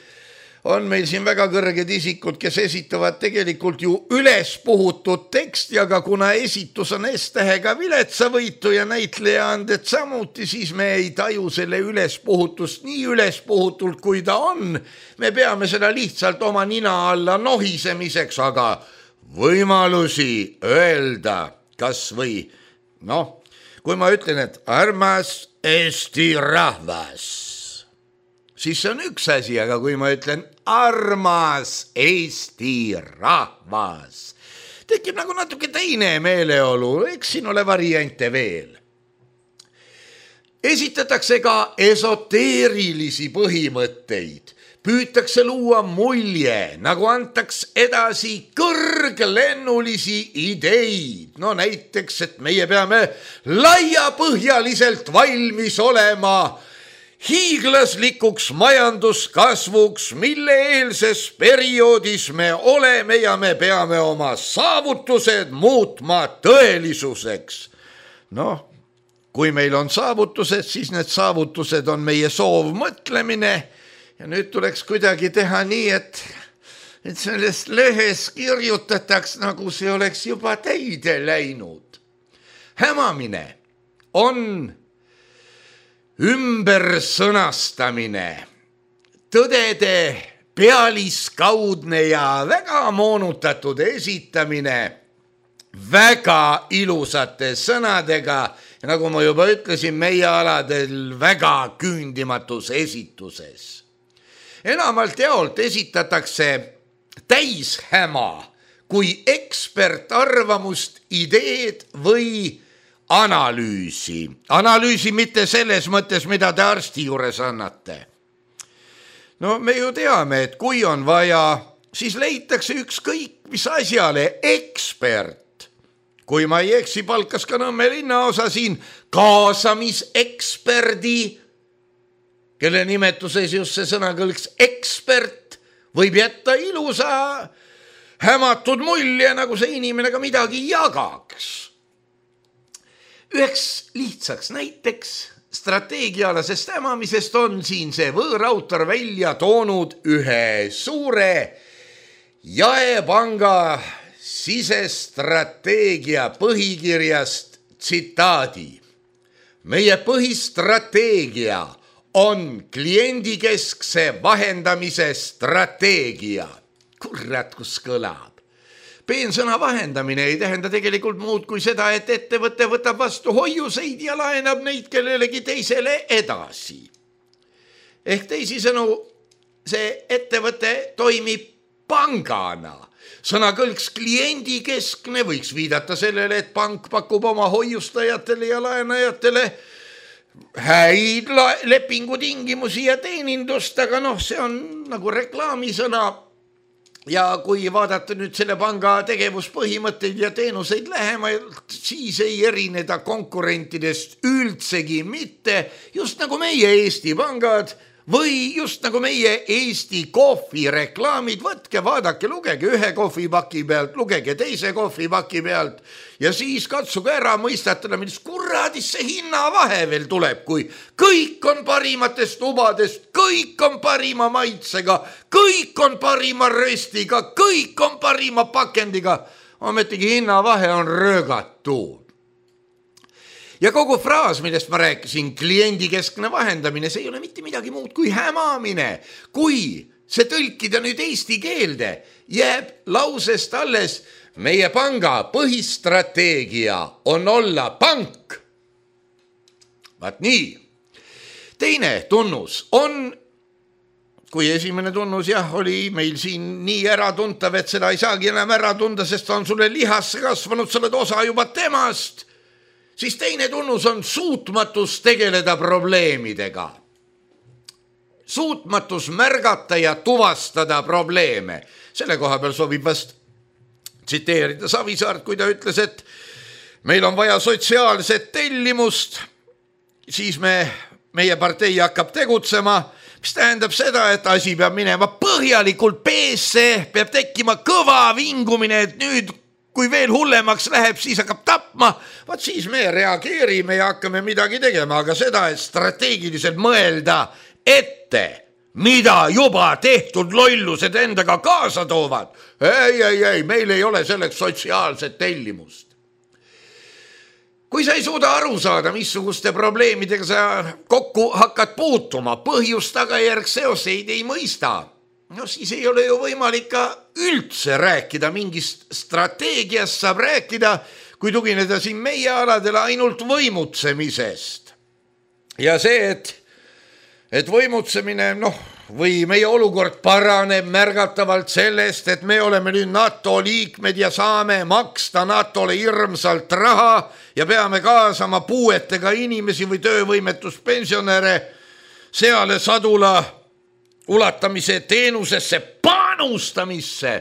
on meil siin väga kõrged isikud, kes esitavad tegelikult ju ülespuhutud teksti, aga kuna esitus on S-tähega viletsavõitu ja näitlejaanded samuti, siis me ei taju selle ülespuhutust nii ülespuhutult, kui ta on. Me peame seda lihtsalt oma nina alla nohisemiseks, aga võimalusi öelda kas või, kui ma ütlen, et armas Eesti rahvas, siis see on üks asi, aga kui ma ütlen armas Eesti rahvas, tekib nagu natuke teine meeleolu, eks siin ole variante veel. Esitatakse ka esoteerilisi põhimõtteid, püütakse luua mulje, nagu antaks edasi kõrglennulisi ideid. No näiteks, et meie peame laiapõhjaliselt valmis olema hiiglaslikuks majanduskasvuks, mille eelses perioodis me oleme ja me peame oma saavutused muutma tõelisuseks. Kui meil on saavutused, siis need saavutused on meie soovmõtlemine ja nüüd tuleks kuidagi teha nii, et sellest lehes kirjutataks, nagu see oleks juba täide läinud. Hämamine on ümbersõnastamine, tõdede pealiskaudne ja väga moonutatud esitamine väga ilusate sõnadega ja nagu ma juba ütlesin, meie aladel väga küündimatus esituses. Enamalt jaolt esitatakse täishäma kui ekspertarvamust, ideed või analüüsi. Analüüsi mitte selles mõttes, mida te arsti juures annate. Me ju teame, et kui on vaja, siis leitakse ükskõik mis asjale ekspert. Kui ma ei eksi, palkas ka Nõmme linnaosa siin kaasamiseksperdi, kelle nimetuses just see sõna kõlks ekspert, võib jätta ilusa hämatud mulje, nagu see inimene ka midagi jagaks. Üheks lihtsaks näiteks strateegialasest hämamisest on siin see võõrautor välja toonud ühe suure jaepanga sisestrateegia põhikirjast tsitaadi. Meie põhistrateegia on kliendikeskse vahendamise strateegia. Kurat, kus kõlab. Peensõna vahendamine ei tähenda tegelikult muud kui seda, et ettevõte võtab vastu hoiuseid ja laenab neid kellelegi teisele edasi. Ehk teisisõnu, see ettevõte toimib pangana. Sõnakõlks kliendikeskne võiks viidata sellele, et pank pakub oma hoiustajatele ja laenajatele häid lepingutingimusi ja teenindust, aga see on nagu reklaamisõna. Ja kui vaadata nüüd selle panga tegevuspõhimõtteid ja teenuseid lähemalt, siis ei erineda konkurentidest üldsegi mitte, just nagu meie Eesti pangad või just nagu meie Eesti kohvi reklaamid. Võtke, vaadake, lugege ühe kohvipaki pealt, lugege teise kohvipaki pealt ja siis katsuge ära mõistatada, millest kuradis see hinnavahe veel tuleb, kui kõik on parimatest tubadest, kõik on parima maitsega, kõik on parima röstiga, kõik on parima pakendiga, ometigi hinnavahe on röögatu. Ja kogu fraas, millest ma rääkisin, kliendikeskne vahendamine, see ei ole mitte midagi muud kui hämamine. Kui see tõlkida nüüd eesti keelde, jääb lausest alles meie panga põhistrateegia on olla pank. Vaat nii. Teine tunnus on, kui esimene tunnus oli meil siin nii äratuntav, et seda ei saagi enam ära tunda, sest on sulle lihasse kasvanud, sa oled osa juba temast, siis teine tunnus on suutmatus tegeleda probleemidega. Suutmatus märgata ja tuvastada probleeme. Selle koha peal sobib vast tsiteerida Savisaart, kui ta ütles, et meil on vaja sotsiaalset tellimust, siis meie partei hakkab tegutsema, mis tähendab seda, et asi peab minema põhjalikult peesse, peab tekkima kõva vingumine, et nüüd, kui veel hullemaks läheb, siis hakkab tapma, vaat siis me reageerime ja hakkame midagi tegema, aga seda, et strateegiliselt mõelda ette, mida juba tehtud lollused endaga kaasa toovad. Ei, meil ei ole selleks sotsiaalset tellimust. Kui sa ei suuda aru saada, missuguste probleemidega sa kokku hakkad puutuma, põhjust tagajärg seoseid ei mõista, no siis ei ole ju võimalik ka üldse rääkida mingist strateegiast, saab rääkida, kui tugineda siin meie aladele ainult võimutsemisest. Ja see, et võimutsemine, või meie olukord paraneb märgatavalt sellest, et me oleme nüüd NATO liikmed ja saame maksta NATO-le hirmsalt raha ja peame kaasama puuetega inimesi või töövõimetuspensionäre seale sadula ulatamise teenusesse panustamisse.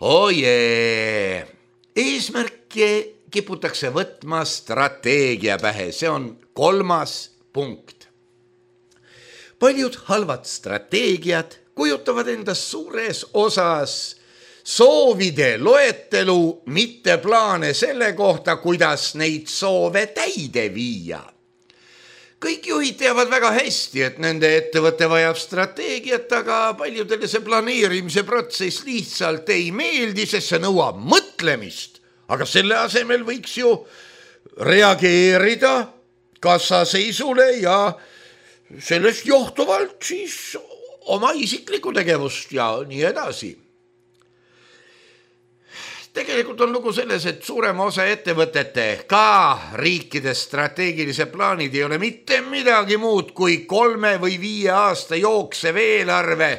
Ojee, eesmärki kiputakse võtma strateegia pähe, see on 3. punkt. Paljud halvad strateegiad kujutavad endast suures osas soovide loetelu, mitte plaane selle kohta, kuidas neid soove täide viia. Kõik juhid teavad väga hästi, et nende ettevõte vajab strateegiat, aga paljudele see planeerimise protsess lihtsalt ei meeldi, sest see nõuab mõtlemist. Aga selle asemel võiks ju reageerida kassaseisule ja sellest johtuvalt siis oma isiklikku tegevust ja nii edasi. Tegelikult on lugu selles, et suurema osa ettevõtete, ka riikide strateegilised plaanid ei ole mitte midagi muud kui 3 või 5 aasta jooksev eelarve.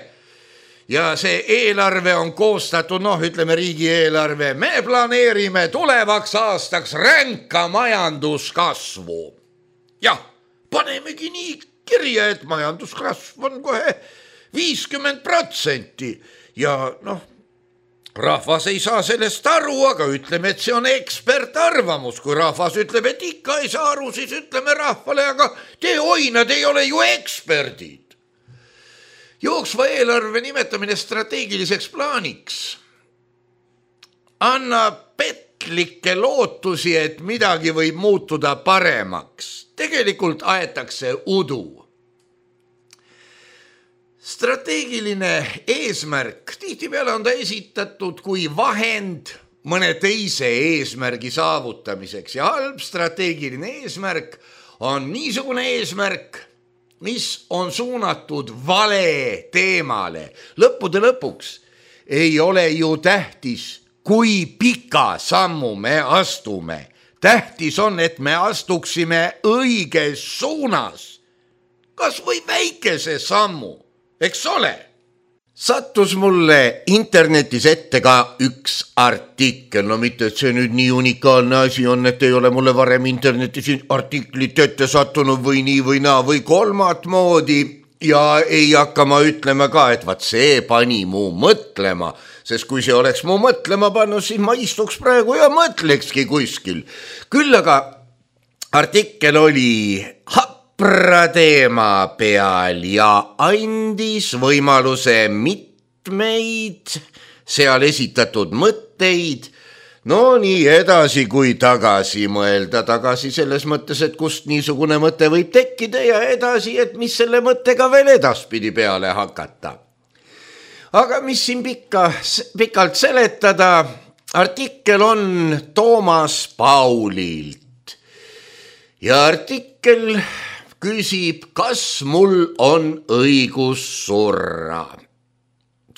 Ja see eelarve on koostatud, ütleme riigieelarve, me planeerime tulevaks aastaks ränka majanduskasvu. Jah, panemegi nii kirja, et majanduskasv on kohe 50% ja rahvas ei saa sellest aru, aga ütleme, et see on ekspertarvamus. Kui rahvas ütleb, et ikka ei saa aru, siis ütleme rahvale, aga nad ei ole ju eksperdid. Jooksva eelarve nimetamine strateegiliseks plaaniks annab petlikke lootusi, et midagi võib muutuda paremaks. Tegelikult aetakse udu. Strateegiline eesmärk, tihtipeale on ta esitatud kui vahend mõne teise eesmärgi saavutamiseks ja halb strateegiline eesmärk on niisugune eesmärk, mis on suunatud vale teemale. Lõppude lõpuks ei ole ju tähtis, kui pika sammu me astume. Tähtis on, et me astuksime õiges suunas, kas või väikese sammu, eks ole. Sattus mulle internetis ette ka üks artikkel, mitte et see nüüd nii unikaalne asi on, et ei ole mulle varem internetis artiklit ette sattunud või nii või naa või kolmat moodi ja ei hakka ma ütlema ka, et vaat see pani mu mõtlema. Sest kui see oleks mu mõtlema pannud, siis ma istuks praegu ja mõtlekski kuskil. Küll aga artikkel oli hapra teema peal ja andis võimaluse mitmeid seal esitatud mõtteid, nii edasi kui tagasi mõelda. Tagasi selles mõttes, et kust niisugune mõte võib tekkida ja edasi, et mis selle mõttega veel edaspidi peale hakata. Aga mis siin pikalt seletada, artikkel on Toomas Paulilt ja artikkel küsib, kas mul on õigus surra.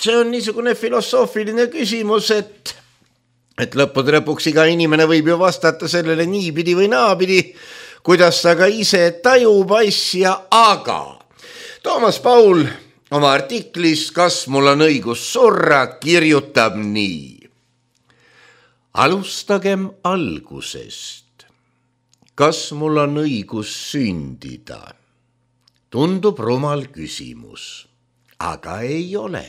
see on niisugune filosoofiline küsimus, et lõppude lõpuks iga inimene võib ju vastata sellele niipidi või naapidi, kuidas ta ka ise tajub asja, aga Toomas Paul oma artiklis Kas mul on õigus surra kirjutab nii. Alustagem algusest. Kas mul on õigus sündida? Tundub rumal küsimus, aga ei ole.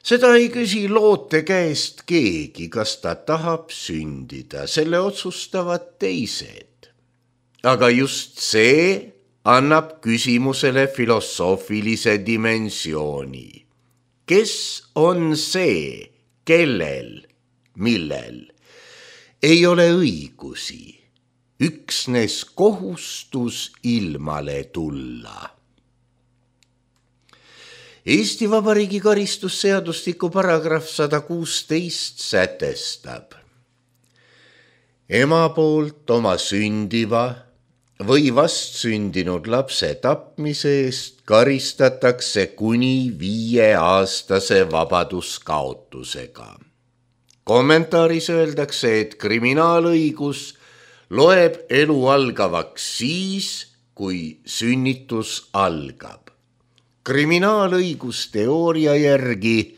Seda ei küsi loote käest keegi, kas ta tahab sündida, selle otsustavad teised. Aga just see annab küsimusele filosoofilise dimensiooni. Kes on see, kellel, millel ei ole õigusi, üksnes kohustus ilmale tulla? Eesti Vabariigi karistusseadustiku paragrahv 116 sätestab. Ema poolt oma sündiva või vastsündinud lapse tapmise eest karistatakse kuni 5-aastase vabaduskaotusega. Kommentaaris öeldakse, et kriminaalõigus loeb elu algavaks siis, kui sünnitus algab. Kriminaalõigusteooria järgi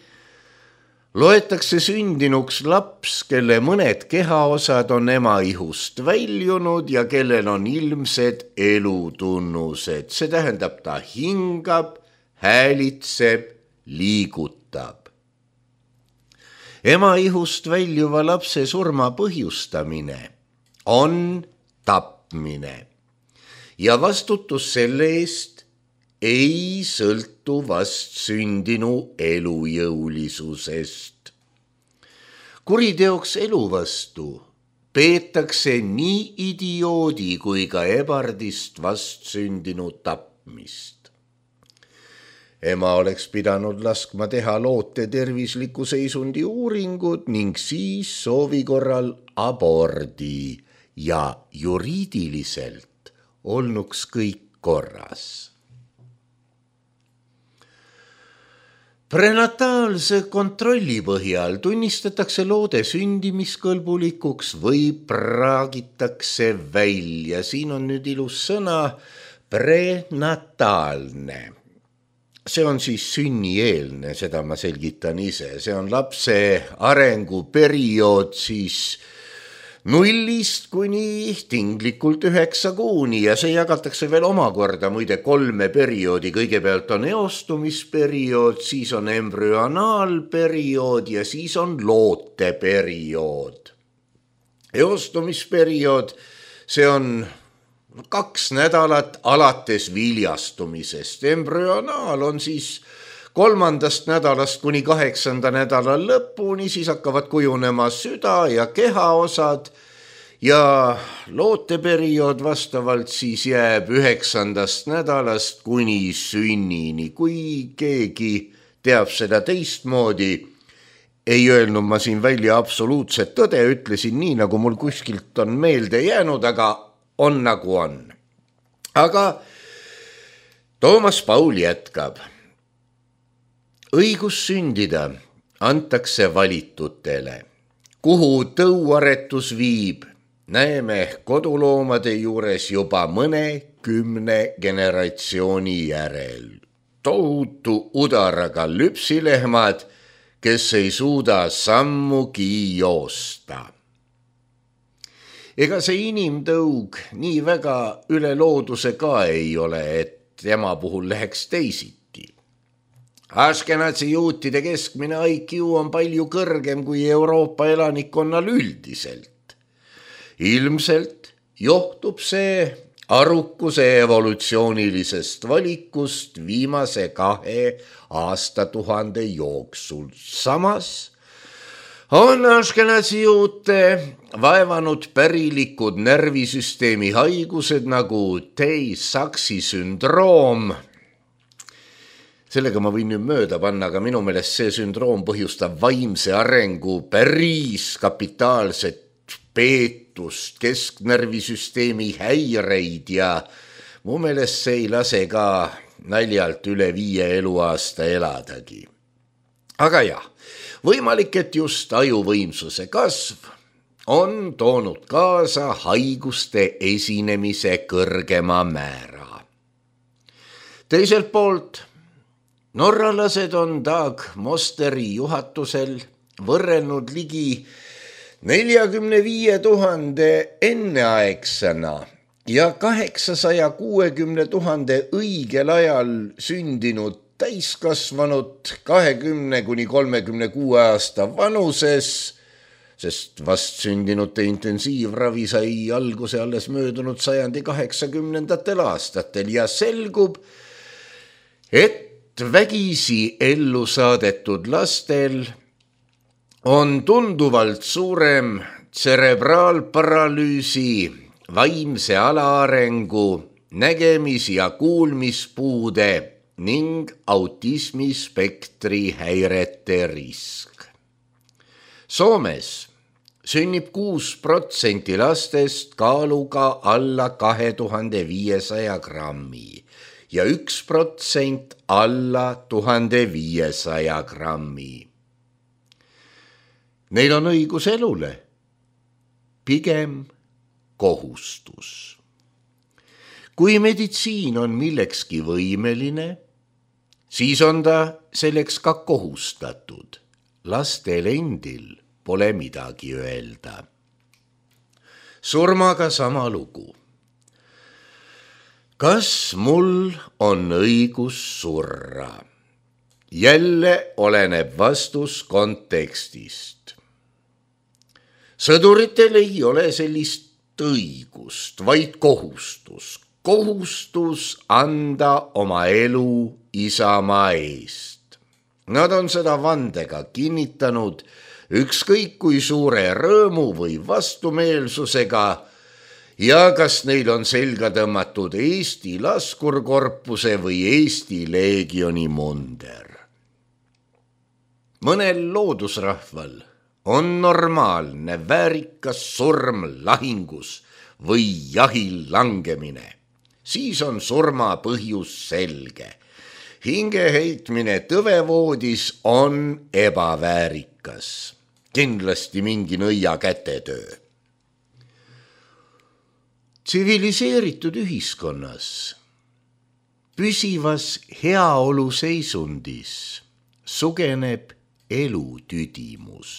loetakse sündinuks laps, kelle mõned kehaosad on ema ihust väljunud ja kellel on ilmsed elutunnused. See tähendab, ta hingab, häälitseb, liigutab. Ema ihust väljuva lapse surma põhjustamine on tapmine ja vastutus selle eest ei sõltu vastsündinu elujõulisusest. Kuriteoks elu vastu peetakse nii idioodi kui ka ebardist vastsündinu tapmist. Ema oleks pidanud laskma teha loote tervisliku seisundi uuringud ning siis soovi korral abordi ja juriidiliselt olnuks kõik korras. Prenataalse kontrolli põhjal tunnistatakse loode sündimiskõlbulikuks või praagitakse välja. Siin on nüüd ilus sõna prenataalne. See on siis sünnieelne, seda ma selgitan ise. See on lapse arenguperiood siis 0 kuni tinglikult 9 kuuni ja see jagatakse veel omakorda muide 3 perioodi. Kõigepealt on eostumisperiood, siis on embrüonaalperiood ja siis on looteperiood. Eostumisperiood, see on 2 nädalat alates viljastumisest. Embrüonaal on siis 3. nädalast kuni 8. nädala lõpuni, siis hakkavad kujunema süda ja kehaosad ja looteperiood vastavalt siis jääb 9. nädalast kuni sünnini. Kui keegi teab seda teistmoodi, ei öelnud ma siin välja absoluutset tõde, ütlesin nii, nagu mul kuskilt on meelde jäänud, aga on nagu on. Aga Toomas Paul jätkab. Õigus sündida antakse valitutele. Kuhu tõuaretus viib, näeme koduloomade juures juba mõne 10 generatsiooni järel. Tohutu udaraga lüpsilehmad, kes ei suuda sammugi joosta. Ega see inimtõug nii väga üle looduse ka ei ole, et tema puhul läheks teisiti. Ashkenazi juutide keskmine IQ on palju kõrgem kui Euroopa elanikkonnal üldiselt. Ilmselt johtub see arukuse evolutsioonilisest valikust viimase 2 aastatuhande jooksul. Samas on Ashkenazi juute vaevanud pärilikud närvisüsteemi haigused nagu Tay-Sachsi sündroom. Sellega ma võin nüüd mööda panna, aga minu meelest see sündroom põhjustab vaimse arengu päris kapitaalset peetust, kesknärvisüsteemi häireid ja mu meelest see ei lase ka naljalt üle 5 eluaasta eladagi. aga jah, võimalik, et just ajuvõimsuse kasv on toonud kaasa haiguste esinemise kõrgema määra. Teiselt poolt, norralased on Dag Mosteri juhatusel võrrelnud ligi 45 000 enneaegsena ja 860 000 õigel ajal sündinud täiskasvanud 20–36 aasta vanuses, sest vastsündinute intensiivravi sai alguse alles möödunud sajandi 80. aastatel ja selgub, et vägisi ellu saadetud lastel on tunduvalt suurem tserebraalparalüüsi, vaimse alaarengu, nägemis- ja kuulmispuude ning autismispektri häirete risk. Soomes sünnib 6% lastest kaaluga alla 2500 grammi ja 1% alla 1500 grammi. Neil on õigus elule, pigem kohustus. Kui meditsiin on millekski võimeline, siis on ta selleks ka kohustatud. Lastel endil pole midagi öelda. Surmaga sama lugu. Kas mul on õigus surra? Jälle oleneb vastus kontekstist. Sõduritel ei ole sellist õigust, vaid kohustus. Kohustus anda oma elu isamaa eest. Nad on seda vandega kinnitanud ükskõik kui suure rõõmu või vastumeelsusega ja kas neil on selga tõmmatud Eesti laskurkorpuse või Eesti leegioni munder. Mõnel loodusrahval on normaalne väärikas surm lahingus või jahil langemine. Siis on surma põhjus selge. Hingeheitmine tõvevoodis on ebaväärikas. Kindlasti mingi nõia kätetöö. Tsiviliseeritud ühiskonnas, püsivas heaolu seisundis sugeneb elutüdimus.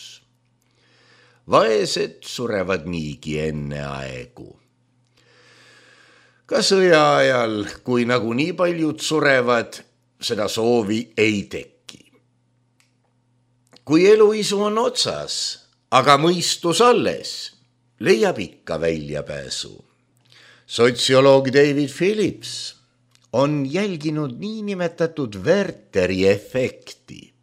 Vaesed surevad niigi enne aegu. Ka sõja ajal, kui nagu nii paljud surevad, seda soovi ei teki. Kui eluisu on otsas, aga mõistus alles, leiab ikka väljapääsu. Sotsioloog David Phillips on jälginud niinimetatud Werteri efekti.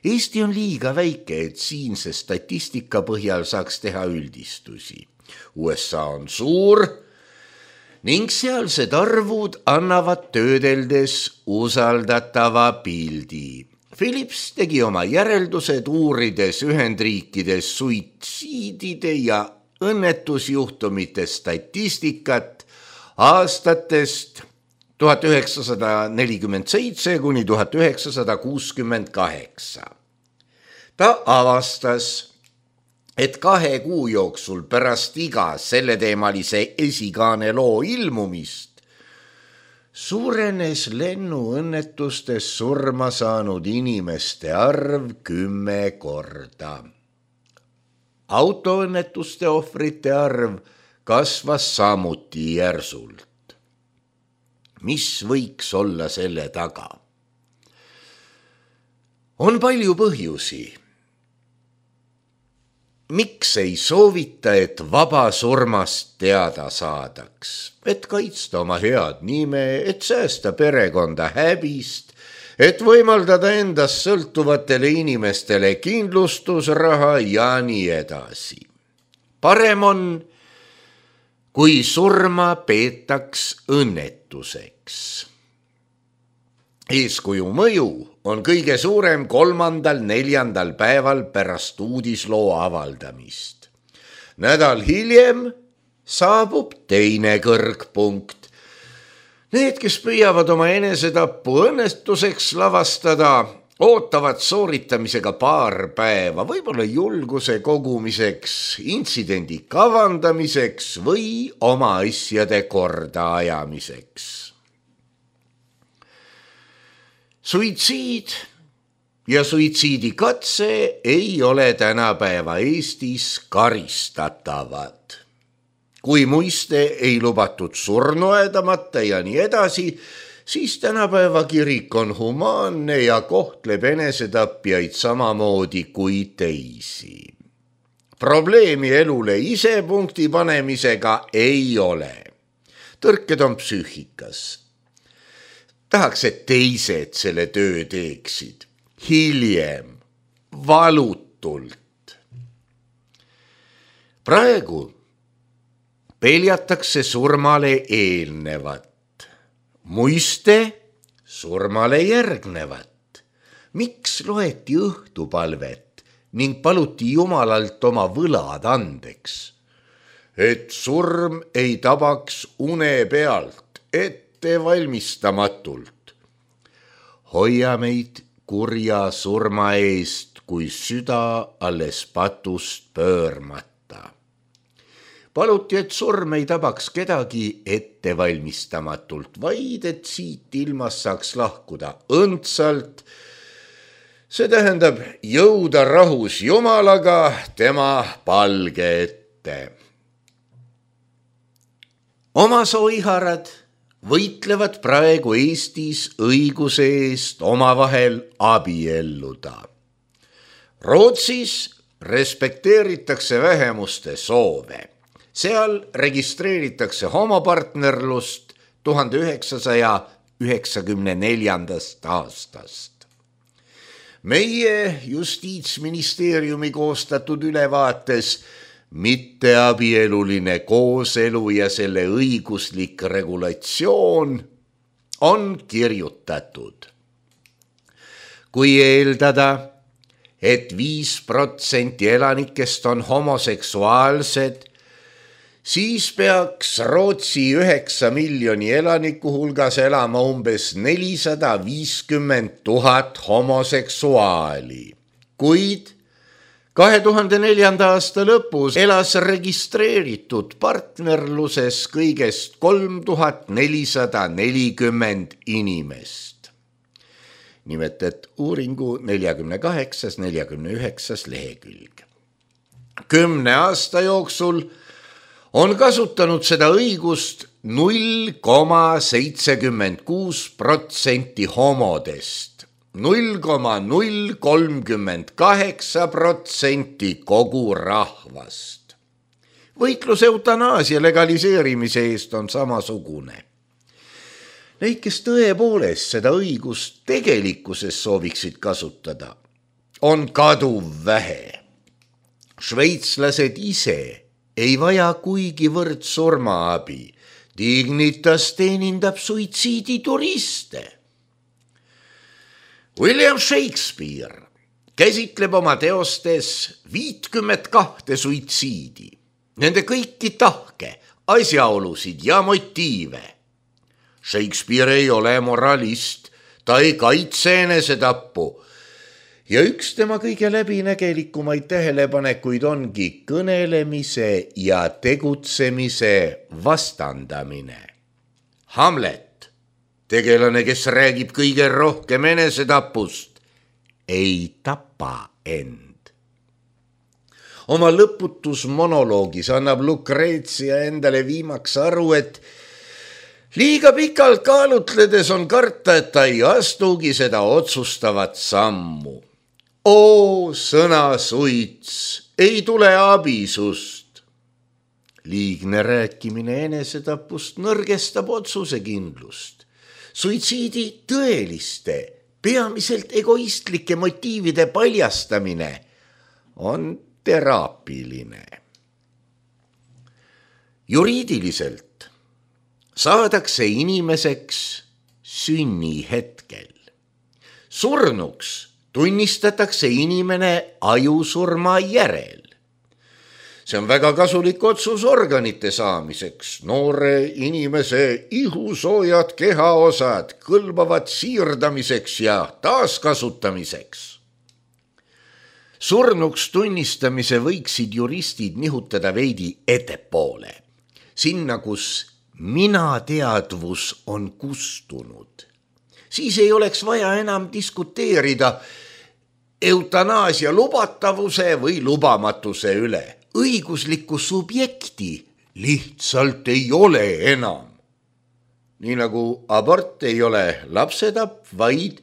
Eesti on liiga väike, et siinse statistika põhjal saaks teha üldistusi. USA on suur ning sealsed arvud annavad töödeldes usaldatava pildi. Phillips tegi oma järeldused uurides Ühendriikides suitsiidide ja õnnetusjuhtumite statistikat aastatest 1947 kuni 1968. Ta avastas, et 2 kuu jooksul pärast iga selleteemalise esikaane loo ilmumist suurenes lennuõnnetustes surma saanud inimeste arv 10 korda. Autoõnnetuste ohvrite arv kasvas samuti järsult. Mis võiks olla selle taga? On palju põhjusi. Miks ei soovita, et vaba surmast teada saadaks, et kaitsta oma head nime, et säästa perekonda häbist, et võimaldada endast sõltuvatele inimestele kindlustusraha ja nii edasi. Parem on, kui surma peetaks õnnetuseks. Eeskuju mõju on kõige suurem 3.–4. päeval pärast uudisloo avaldamist. Nädal hiljem saabub teine kõrgpunkt. Need, kes püüavad oma enesetappu õnnestuseks lavastada, ootavad sooritamisega paar päeva, võib-olla julguse kogumiseks, intsidendi kavandamiseks või oma asjade korda ajamiseks. Suitsiid ja suitsiidikatse ei ole tänapäeva Eestis karistatavad. Kui muiste ei lubatud surnu aedamata ja nii edasi, siis tänapäeva kirik on humaanne ja kohtleb enesetapjaid samamoodi kui teisi. Probleemi elule ise punkti panemisega ei ole. Tõrked on psüühikas. Tahaks, et teised selle töö teeksid. Hiljem, valutult. Praegu peljatakse surmale eelnevat. Muiste surmale järgnevat. Miks loeti õhtupalvet ning paluti Jumalalt oma võlad andeks? Et surm ei tabaks une pealt, ettevalmistamatult. Hoia meid kurja surma eest, kui süda alles patust pöörmata. Paluti, et surm ei tabaks kedagi ettevalmistamatult, vaid et siit ilmas saaks lahkuda õndsalt. See tähendab jõuda rahus Jumalaga tema palge ette. Oma soiharad võitlevad praegu Eestis õiguse eest omavahel abielluda. Rootsis respekteeritakse vähemuste soove. Seal registreeritakse homopartnerlust 1994. aastast. Meie Justiitsministeeriumi koostatud ülevaates mitteabieluline kooselu ja selle õiguslik regulatsioon on kirjutatud. Kui eeldada, et 5% elanikest on homoseksuaalsed, siis peaks Rootsi 9 miljoni elaniku hulgas elama umbes 450 000 homoseksuaali. Kuid 2004. aasta lõpus elas registreeritud partnerluses kõigest 3440 inimest. Nimetet uuringu 48-49 lehekülg. 10 aasta jooksul on kasutanud seda õigust 0,76% homodest, 0,038% kogu rahvast. Võitlus eutanaasia legaliseerimise eest on samasugune. Neid, kes tõepoolest seda õigust tegelikkuses sooviksid kasutada, on kaduv vähe. Šveitslased ise ei vaja kuigivõrd surmaabi. Dignitas teenindab suitsiidituriste. William Shakespeare käsitleb oma teostes 52 suitsiidi. Nende kõiki tahke, asjaolusid ja motiive. Shakespeare ei ole moralist, ta ei kaitse enesetappu. Ja üks tema kõige läbinägelikumaid tähelepanekuid ongi kõnelemise ja tegutsemise vastandamine. Hamlet, tegelane, kes räägib kõige rohkem enesetapust, ei tapa end. Oma lõputus monoloogis annab Lucrezia endale viimaks aru, et liiga pikalt kaalutledes on karta, et ta ei astugi seda otsustavat sammu. Oo, sõna suits, ei tule abi sust. Liigne rääkimine enesetapust nõrgestab otsusekindlust. Suitsiidi tõeliste, peamiselt egoistlike motiivide paljastamine on teraapiline. Juriidiliselt saadakse inimeseks sünnihetkel. Surnuks tunnistatakse inimene ajusurma järel. See on väga kasulik otsus organite saamiseks. Noore inimese ihusoojad kehaosad kõlbavad siirdamiseks ja taaskasutamiseks. Surnuks tunnistamise võiksid juristid nihutada veidi ettepoole. Sinna, kus minateadvus on kustunud. Siis ei oleks vaja enam diskuteerida eutanaasia lubatavuse või lubamatuse üle. Õiguslikku subjekti lihtsalt ei ole enam. Nii nagu abort ei ole lapsetapp, vaid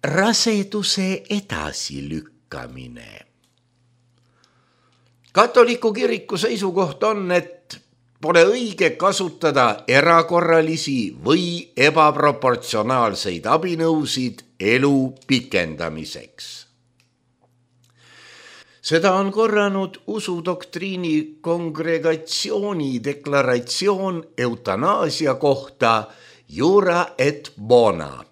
raseduse edasilükkamine. Katoliku kiriku seisukoht on, et pole õige kasutada erakorralisi või ebaproportsionaalseid abinõusid elu pikendamiseks. Seda on korranud usudoktriini kongregatsiooni deklaratsioon eutanaasia kohta Jura et bona.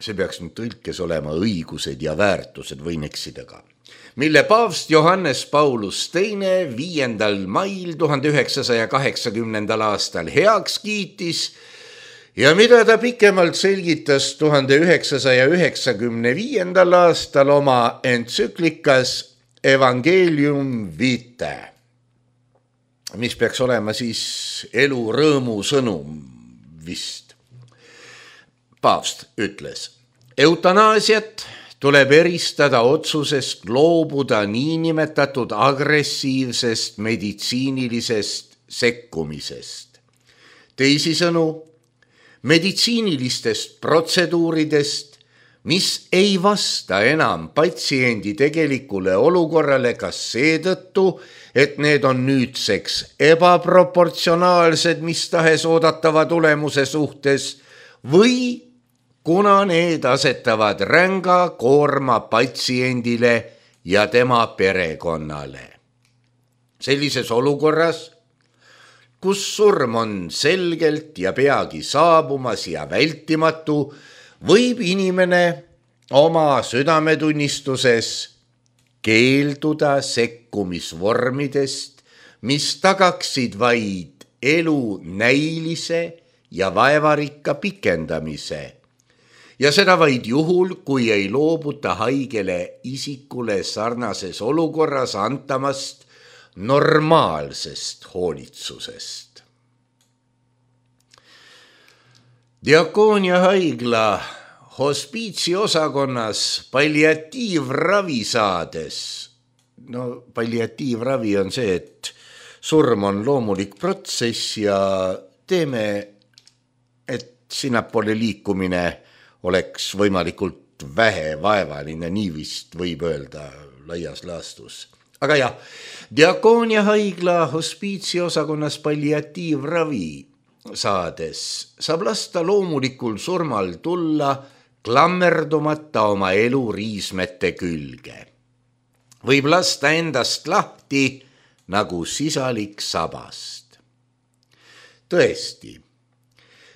See peaks nüüd tõlkes olema õigused ja väärtused, võin eksida ka. Mille paavst Johannes Paulus II 5. mail 1980. aastal heaks kiitis ja mida ta pikemalt selgitas 1995. aastal oma entsüklikas Evangelium Vitae, mis peaks olema siis elu rõõmu sõnum vist. Paavst ütles, eutanaasiat tuleb eristada otsusest loobuda niinimetatud agressiivsest meditsiinilisest sekkumisest. Teisisõnu, meditsiinilistest protseduuridest, mis ei vasta enam patsiendi tegelikule olukorrale kas seetõttu, et need on nüüdseks ebaproportsionaalsed mis tahes oodatava tulemuse suhtes või kuna need asetavad ränga koorma patsiendile ja tema perekonnale. Sellises olukorras, kus surm on selgelt ja peagi saabumas ja vältimatu, võib inimene oma südametunnistuses keelduda sekkumisvormidest, mis tagaksid vaid elu näilise ja vaevarikka pikendamise. Ja seda vaid juhul, kui ei loobuta haigele isikule sarnases olukorras antamast normaalsest hoolitsusest. Diakoonia haigla hospiitsiosakonnas palliatiivravi saades, palliatiivravi on see, et surm on loomulik protsess ja teeme, et sinnapoole liikumine oleks võimalikult vähe vaevaline, nii vist võib öelda laias laastus. Aga jah, Diakoonia haigla hospiitsiosakonnas palliatiivravi saades saab lasta loomulikul surmal tulla klammerdumata oma elu riismete külge. Võib lasta endast lahti nagu sisalik sabast. Tõesti,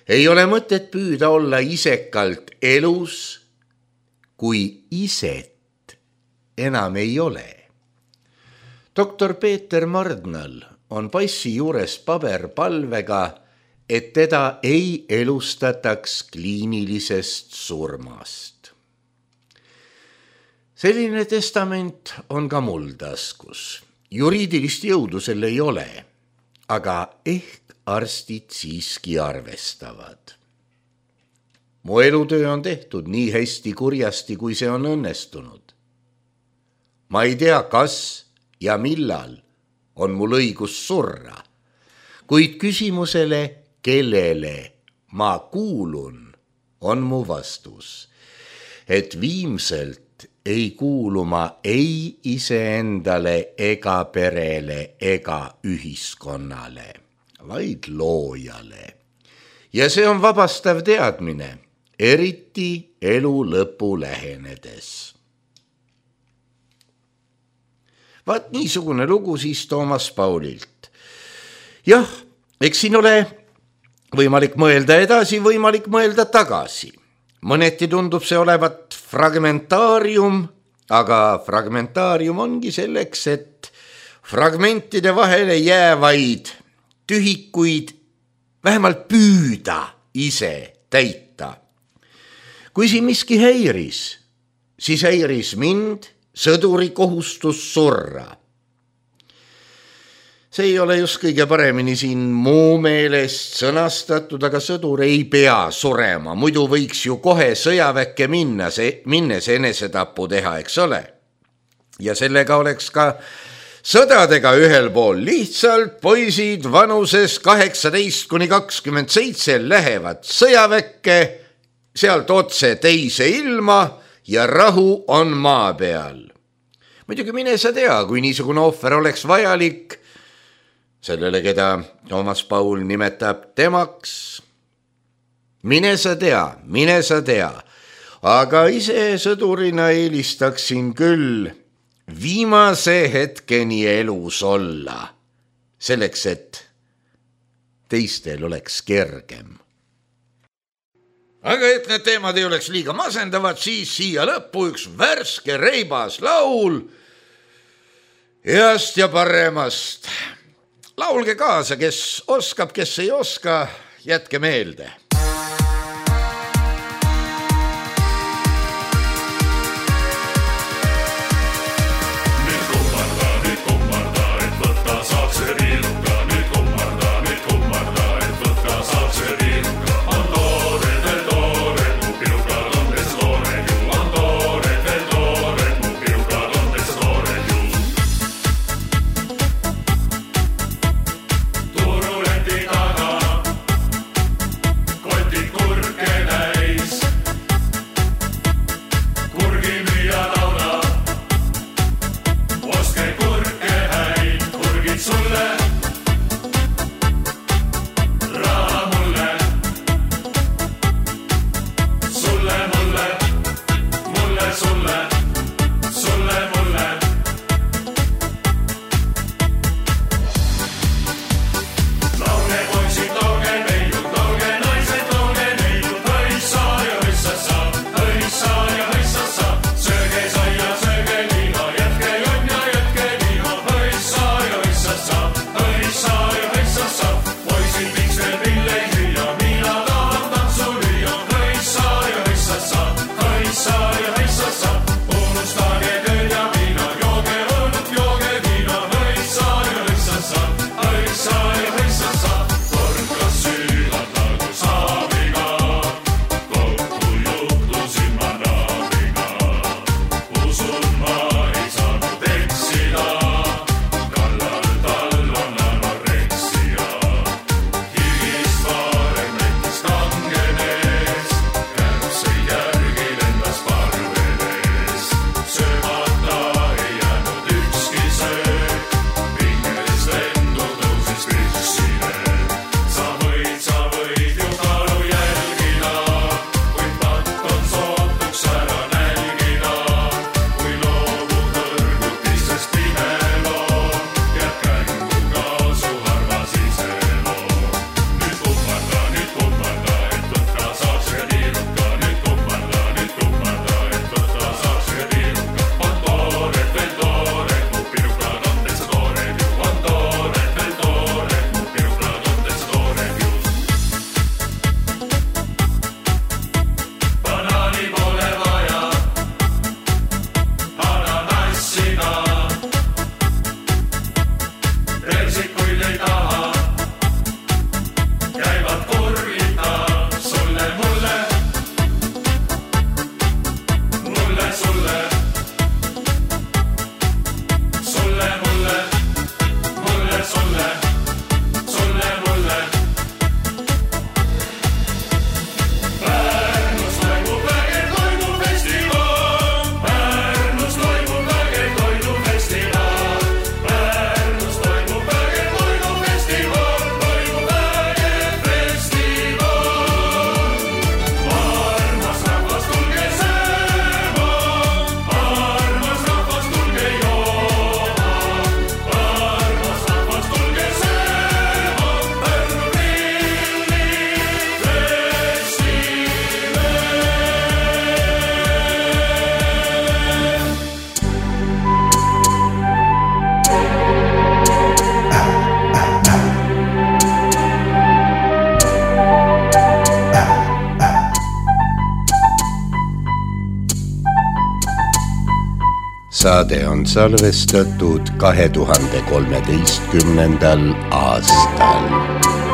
ei ole mõtet püüda olla isekalt elus, kui iset enam ei ole. Doktor Peeter Mardnal on passi juures paberpalvega, et teda ei elustataks kliinilisest surmast. Selline testament on ka mul taskus. Juriidilist jõudu sel ei ole, aga ehk arstid siiski arvestavad. Mu elutöö on tehtud nii hästi kurjasti, kui see on õnnestunud. Ma ei tea, kas ja millal on mul õigus surra, kuid küsimusele, kellele ma kuulun, on mu vastus, et viimselt ei kuulu ma ei iseendale ega perele ega ühiskonnale, vaid loojale. Ja see on vabastav teadmine, eriti elu lõpu lähenedes. Vaat niisugune lugu siis Toomas Paulilt. Jah, eks siin ole võimalik mõelda edasi, võimalik mõelda tagasi. Mõneti tundub see olevat fragmentaarium, aga fragmentaarium ongi selleks, et fragmentide vahele jäävaid tühikuid vähemalt püüda ise täita. Kui siin miski häiris, siis häiris mind sõduri kohustus surra. See ei ole just kõige paremini siin muu meelest sõnastatud, aga sõdur ei pea surema, muidu võiks ju kohe sõjaväkke minnes enesetapu teha, eks ole. Ja sellega oleks ka sõdadega ühel pool. Lihtsalt poisid vanuses 18–27 lähevad sõjaväkke, sealt otse teise ilma ja rahu on maa peal. Muidugi mine sa tea, kui niisugune ohver oleks vajalik, sellele, keda Toomas Paul nimetab temaks. Mine sa tea, aga ise sõdurina eelistaksin küll viimase hetkeni elus olla, selleks, et teistel oleks kergem. Aga et need teemad ei oleks liiga masendavad, siis siia lõppu üks värske reibas laul heast ja paremast. Laulge kaasa, kes oskab, kes ei oska, jätke meelde. saade on salvestatud 2013. aastal.